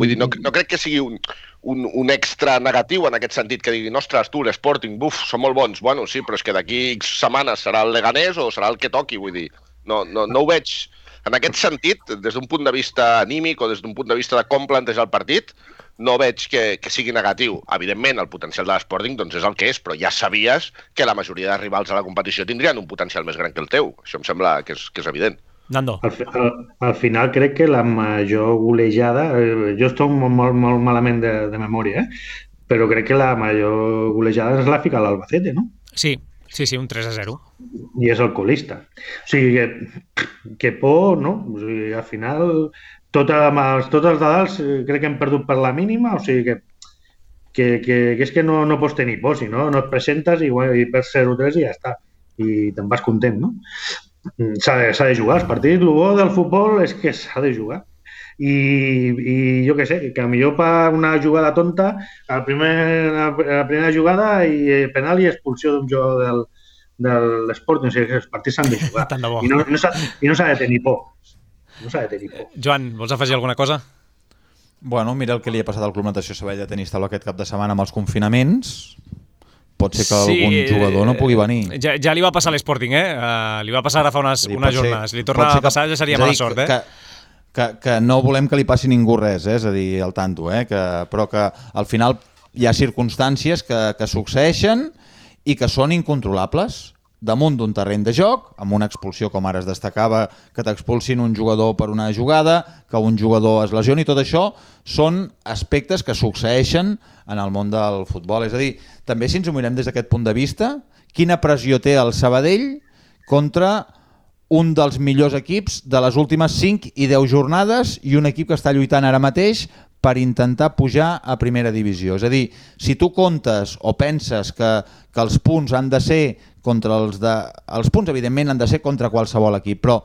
Vull dir, no, no crec que sigui un, un, un extra negatiu en aquest sentit, que diguin, ostres, tu, l'Sporting, buf, són molt bons. Bueno, sí, però és que d'aquí X setmanes serà el Leganés o serà el que toqui, vull dir. No, no, no ho veig. En aquest sentit, des d'un punt de vista anímic o des d'un punt de vista de com plantejar el partit, no veig que, que sigui negatiu. Evidentment, el potencial de l'Sporting doncs, és el que és, però ja sabies que la majoria de rivals a la competició tindrien un potencial més gran que el teu. Això em sembla que és, que és evident. Nando. Al, al, al final crec que la major golejada... Eh, jo estic molt, molt, molt malament de, de memòria, eh? Però crec que la major golejada és la fica l'Albacete, no? Sí, sí, sí, un tres a zero. I és el colista. O sigui, que, que por, no? O sigui, al final... Tot, tots els de dalt crec que hem perdut per la mínima, o sigui que, que, que, que és que no, no pots tenir por, si no, no et presentes i, i perds zero tres i ja està. I te'n vas content, no? S'ha de, s'ha de jugar els partits. El bo del futbol és que s'ha de jugar. I, i jo què sé, que millor per una jugada tonta, la, primer, la primera jugada i penal i expulsió d'un jugador del, de l'Sporting, o sigui que els partits s'han de jugar. I no, no s'ha, i no s'ha de tenir por. No s'ha de tenir por. Joan, vols afegir alguna cosa? Bueno, mira el que li ha passat al Club Natació Sabadell de Tenis Taula aquest cap de setmana amb els confinaments. Pot ser que sí, algun jugador no pugui venir. Ja, ja li va passar a l'Sporting, eh? Uh, li va passar ara fa unes, unes jornades. Si li torna a passar ja seria mala sort, eh? Que, que, que no volem que li passi ningú res, eh? És a dir, al tanto, eh? Que, però que al final hi ha circumstàncies que, que succeeixen i que són incontrolables. Damunt d'un terreny de joc, amb una expulsió com ara es destacava, que t'expulsin un jugador per una jugada, que un jugador es lesioni, tot això són aspectes que succeeixen en el món del futbol. És a dir, també si ens ho mirem des d'aquest punt de vista, quina pressió té el Sabadell contra un dels millors equips de les últimes cinc i deu jornades i un equip que està lluitant ara mateix per intentar pujar a primera divisió. És a dir, si tu comptes o penses que, que els punts han de ser contra els de... Els punts, evidentment, han de ser contra qualsevol equip, però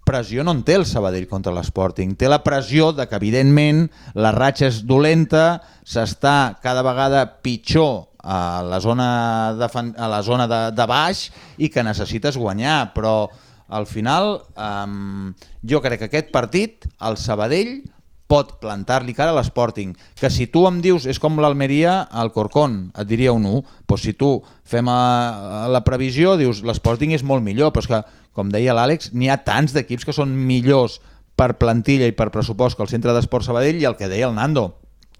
pressió no en té el Sabadell contra l'Sporting. Té la pressió de que, evidentment, la ratxa és dolenta, s'està cada vegada pitjor a la zona de, a la zona de, de baix i que necessites guanyar, però al final um, jo crec que aquest partit, el Sabadell pot plantar-li cara a l'Sporting, que si tu em dius, és com l'Almeria al Corcón, et diria un u, doncs si tu fem a, a la previsió, dius l'Sporting és molt millor, però és que, com deia l'Àlex, n'hi ha tants d'equips que són millors per plantilla i per pressupost que el Centre d'Esport Sabadell i el que deia el Nando.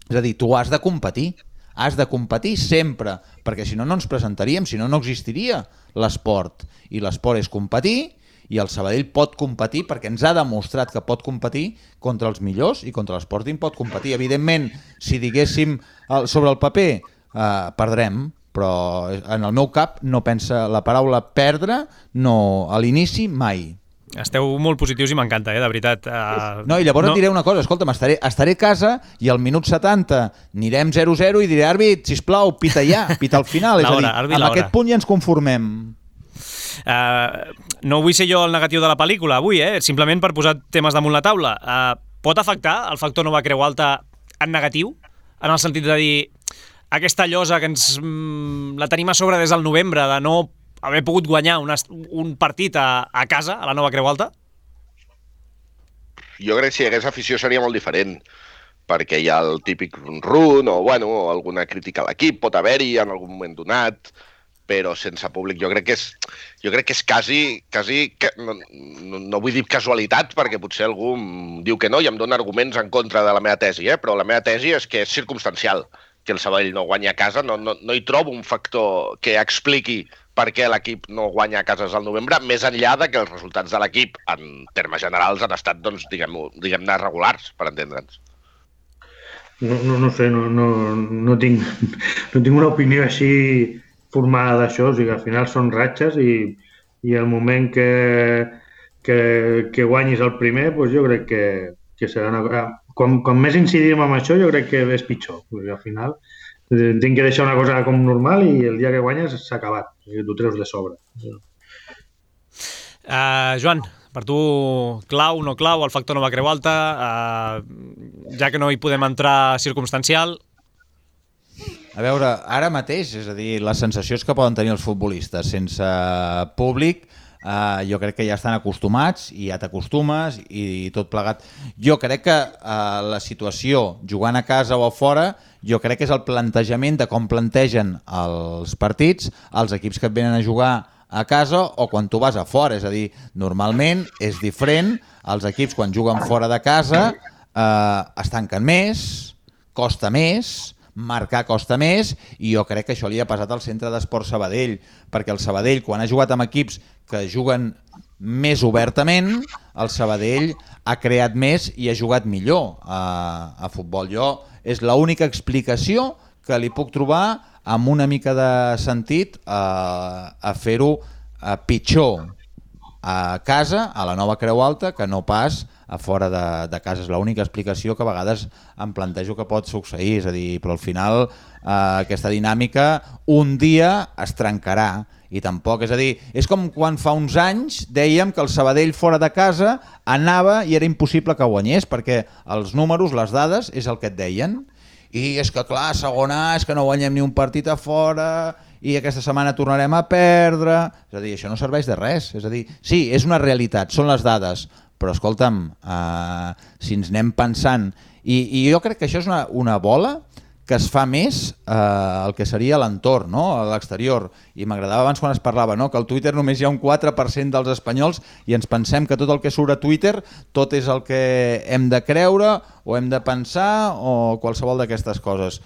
És a dir, tu has de competir, has de competir sempre, perquè si no no ens presentaríem, si no no existiria l'esport, i l'esport és competir, i el Sabadell pot competir perquè ens ha demostrat que pot competir contra els millors i contra l'Sporting pot competir. Evidentment, si diguéssim sobre el paper, eh, perdrem, però en el meu cap no pensa la paraula perdre, no a l'inici mai. Esteu molt positius i m'encanta, eh, de veritat. Uh, no, i llavors no. Et diré una cosa, escolta'm, estaré, estaré a casa i al minut setanta anirem zero zero i diré, àrbit, sisplau, pita ja, pita al final. És a dir, àrbit, amb aquest punt ja ens conformem. Uh, no vull ser jo el negatiu de la pel·lícula avui, eh? Simplement per posar temes damunt la taula. Uh, pot afectar el factor nova Creu Alta en negatiu? En el sentit de dir aquesta llosa que ens mm, la tenim a sobre des del novembre de no haver pogut guanyar una, un partit a, a casa, a la nova Creu Alta? Jo crec que si hi hagués afició seria molt diferent, perquè hi ha el típic run o bueno, alguna crítica a l'equip, pot haver-hi en algun moment donat, però sense públic jo crec que és, jo crec que és quasi, quasi no, no, no vull dir casualitat, perquè potser algú em diu que no i em dona arguments en contra de la meva tesi, eh? Però la meva tesi és que és circumstancial, que el Sabadell no guanya a casa, no, no, no hi trobo un factor que expliqui per què l'equip no guanya a cases al novembre, més enllà de que els resultats de l'equip, en termes generals, han estat, doncs, diguem-ne, diguem-ne regulars, per entendre'ns. No, no, no sé, no, no, no, tinc, no tinc una opinió així formada d'això, o sigui, al final són ratxes i, i el moment que, que, que guanyis el primer, doncs jo crec que, que serà una... Com, com més incidim en això, jo crec que és pitjor. Perquè al final tinc que deixar una cosa com normal i el dia que guanyes s'ha acabat. O sigui, t'ho treus de sobre. Uh, Joan, per tu clau, no clau, el factor nova Creu Alta, uh, ja que no hi podem entrar circumstancial... A veure, ara mateix, és a dir, les sensacions que poden tenir els futbolistes sense públic, Uh, jo crec que ja estan acostumats i ja t'acostumes i tot plegat. Jo crec que uh, la situació jugant a casa o a fora, jo crec que és el plantejament de com plantegen els partits els equips que et venen a jugar a casa o quan tu vas a fora, és a dir, normalment és diferent, els equips quan juguen fora de casa uh, es tanquen més, costa més, marcar costa més, i jo crec que això li ha passat al centre d'esport Sabadell, perquè el Sabadell, quan ha jugat amb equips que juguen més obertament, el Sabadell ha creat més i ha jugat millor a, a futbol. Jo és l'única explicació que li puc trobar amb una mica de sentit a, a fer-ho a pitjor a casa, a la Nova Creu Alta, que no pas a fora de, de casa. És l'única explicació que a vegades em plantejo que pot succeir, és a dir, però al final eh, aquesta dinàmica un dia es trencarà i tampoc, és a dir, és com quan fa uns anys dèiem que el Sabadell fora de casa anava i era impossible que guanyés, perquè els números, les dades, és el que et deien. I és que clar, segona A, és que no guanyem ni un partit a fora i aquesta setmana tornarem a perdre. És a dir, això no serveix de res. És a dir, sí, és una realitat, són les dades, però escolta'm, eh, si ens anem pensant, i, i jo crec que això és una, una bola que es fa més eh, el que seria l'entorn, no? A l'exterior. I m'agradava abans quan es parlava, no? Que al Twitter només hi ha un quatre per cent dels espanyols i ens pensem que tot el que surt a Twitter tot és el que hem de creure o hem de pensar o qualsevol d'aquestes coses.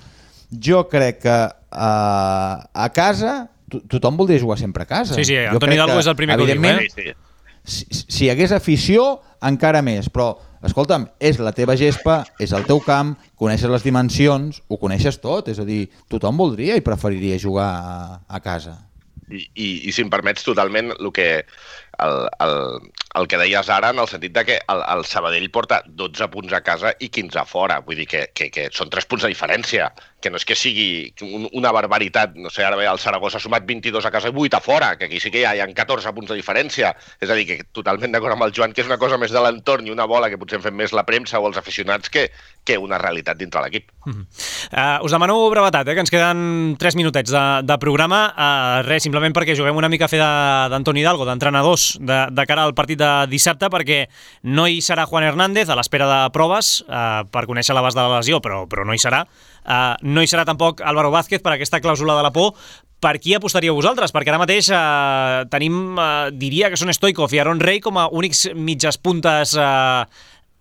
Jo crec que eh, a casa to tothom voldria jugar sempre a casa. Sí, sí, Antoni Hidalgo és el primer que ho diu, eh? Sí, sí. Si, si hi hagués afició, encara més, però escolta'm, és la teva gespa, és el teu camp, coneixes les dimensions, ho coneixes tot, és a dir, tothom voldria i preferiria jugar a, a casa. I, i, i si em permets totalment el que, el, el, el que deies ara, en el sentit de que el, el Sabadell porta dotze punts a casa i quinze a fora, vull dir que, que, que són tres punts de diferència, que no és que sigui un, una barbaritat, no sé, ara bé, el Saragossa ha sumat vint-i-dos a casa i vuit a fora, que aquí sí que hi ha, hi ha catorze punts de diferència, és a dir, que totalment d'acord amb el Joan, que és una cosa més de l'entorn i una bola que potser en fem més la premsa o els aficionats que, que una realitat dintre l'equip. Mm -hmm. uh, us demano brevetat, eh, que ens queden tres minutets de, de programa, uh, res, simplement perquè juguem una mica a fer d'Antoni Hidalgo, d'entrenadors, de, de cara al partit de dissabte, perquè no hi serà Juan Hernández a l'espera de proves uh, per conèixer l'abast de la lesió, però, però no hi serà. Uh, no hi serà tampoc Álvaro Vázquez per aquesta clàusula de la por. Per qui apostaríeu vosaltres? Perquè ara mateix uh, tenim, uh, diria que són Stoichkov i Aaron Rey com a únics mitges puntes uh,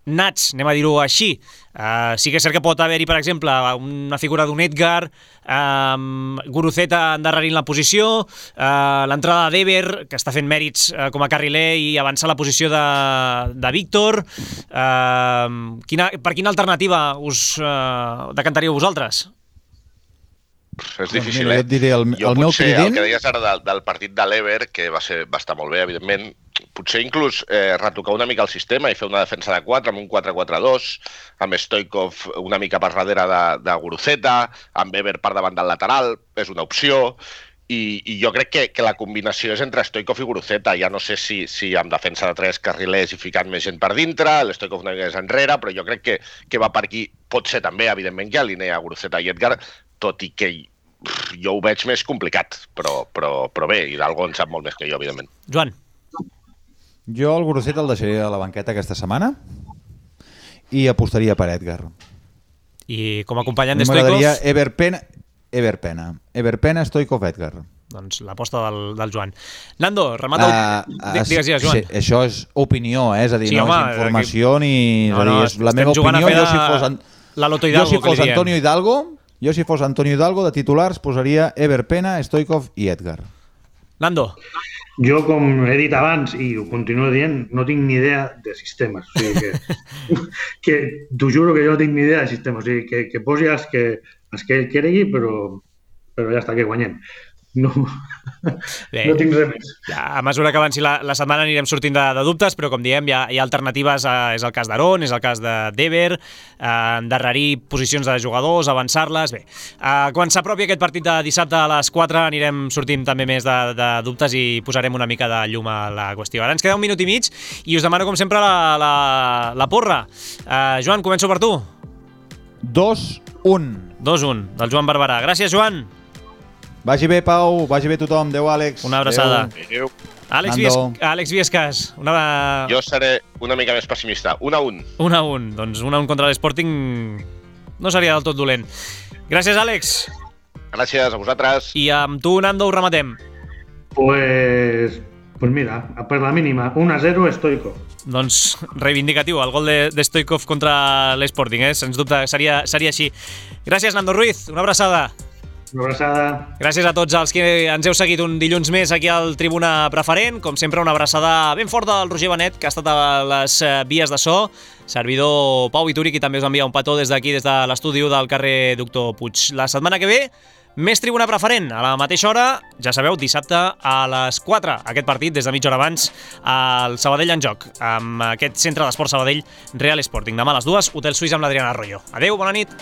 nats, anem a dir-ho així. Uh, sí que és cert que pot haver-hi, per exemple, una figura d'un Edgar, um, Guruceta endarrerint la posició, uh, l'entrada d'Ever, que està fent mèrits uh, com a carriler i avança la posició de, de Víctor. Uh, quina, per quina alternativa us uh, decantaríeu vosaltres? És difícil, doncs mira, eh? Jo et diré, el, jo el meu potser, trident... el que deies ara del, del partit de l'Ever, que va, ser, va estar molt bé, evidentment, potser inclús eh, retocar una mica el sistema i fer una defensa de quatre amb un quatre quatre dos, amb Stoichkov una mica per darrere de, de Guruceta, amb Ever per davant del lateral, és una opció, i, i jo crec que, que la combinació és entre Stoichkov i Guruceta. Ja no sé si, si amb defensa de tres carrilers i ficant més gent per dintre, l'Stoichkov una mica més enrere, però jo crec que, que va per aquí. Pot ser també, evidentment, que alinea Guruceta i Edgar, tot i que jo ho veig més complicat, però, però, però bé, Hidalgo en sap molt més que jo, evidentment. Joan. Jo el Guruceta el deixaria a la banqueta aquesta setmana i apostaria per Edgar. I com a acompanyant de Stoichkov? M'agradaria Ever Pena, Ever Pena, Ever Pena, Stoichkov, Edgar. Doncs l'aposta del, del Joan. Nando, remata... Uh, uh, digues, digues, Joan. Sí, això és opinió, eh? És a dir, sí, no home, és informació aquí... ni... No, no, és, la meva opinió, jo si fos... En... La Loto Hidalgo, jo si fos que li Antonio Hidalgo, jo si fos Antonio Hidalgo, de titulars posaria Ever Pena, Stoichkov i Edgar. Nando. Jo, com he dit abans, i ho continuo dient, no tinc ni idea de sistemes. O sigui que, que t'ho juro que jo no tinc ni idea de sistemes. O sigui, que, que posi els que, els que ell cregui, però, però ja està, que guanyem. No, Bé, no tinc res més. Ja, a mesura que avanci la, la setmana anirem sortint de, de dubtes, però com diem, hi ha, hi ha alternatives. Eh, és el cas d'Aaron, és el cas de Dever, eh, endarrerir posicions de jugadors, avançar-les. Bé, eh, quan s'apropi aquest partit de dissabte a les quatre anirem sortint també més de, de dubtes i posarem una mica de llum a la qüestió. Ara ens queda un minut i mig i us demano, com sempre, la, la, la porra. Eh, Joan, començo per tu. dos un. dos un, del Joan Barberà. Gràcies, Joan. Vagi bé, Pau, vagi bé tothom. Adéu, Àlex. Una abraçada. Adéu. Àlex, Vies... Àlex Viescas, una... Jo seré una mica més pessimista. Un a un. Un a un. Doncs un a un contra l'Sporting no seria del tot dolent. Gràcies, Àlex. Gràcies a vosaltres. I amb tu, Nando, ho rematem. Pues... Pues mira, per la mínima, un a zero Stoikov. Doncs reivindicatiu, el gol de, de Stoikov contra l'Sporting, eh? Sens dubte seria, seria així. Gràcies, Nando Ruiz, una abraçada. Una abraçada. Gràcies a tots els que ens heu seguit un dilluns més aquí al Tribuna Preferent. Com sempre, una abraçada ben forta del Roger Benet, que ha estat a les vies de so. Servidor Pau Vituri, qui també us envia un petó des d'aquí, des de l'estudi del carrer Doctor Puig. La setmana que ve, més Tribuna Preferent, a la mateixa hora, ja sabeu, dissabte a les quatre, aquest partit, des de mitja hora abans, al Sabadell en joc, amb aquest centre d'esport Sabadell Real Sporting. Demà a les dues, Hotel Suís amb l'Adriana Arroyo. Adeu, bona nit!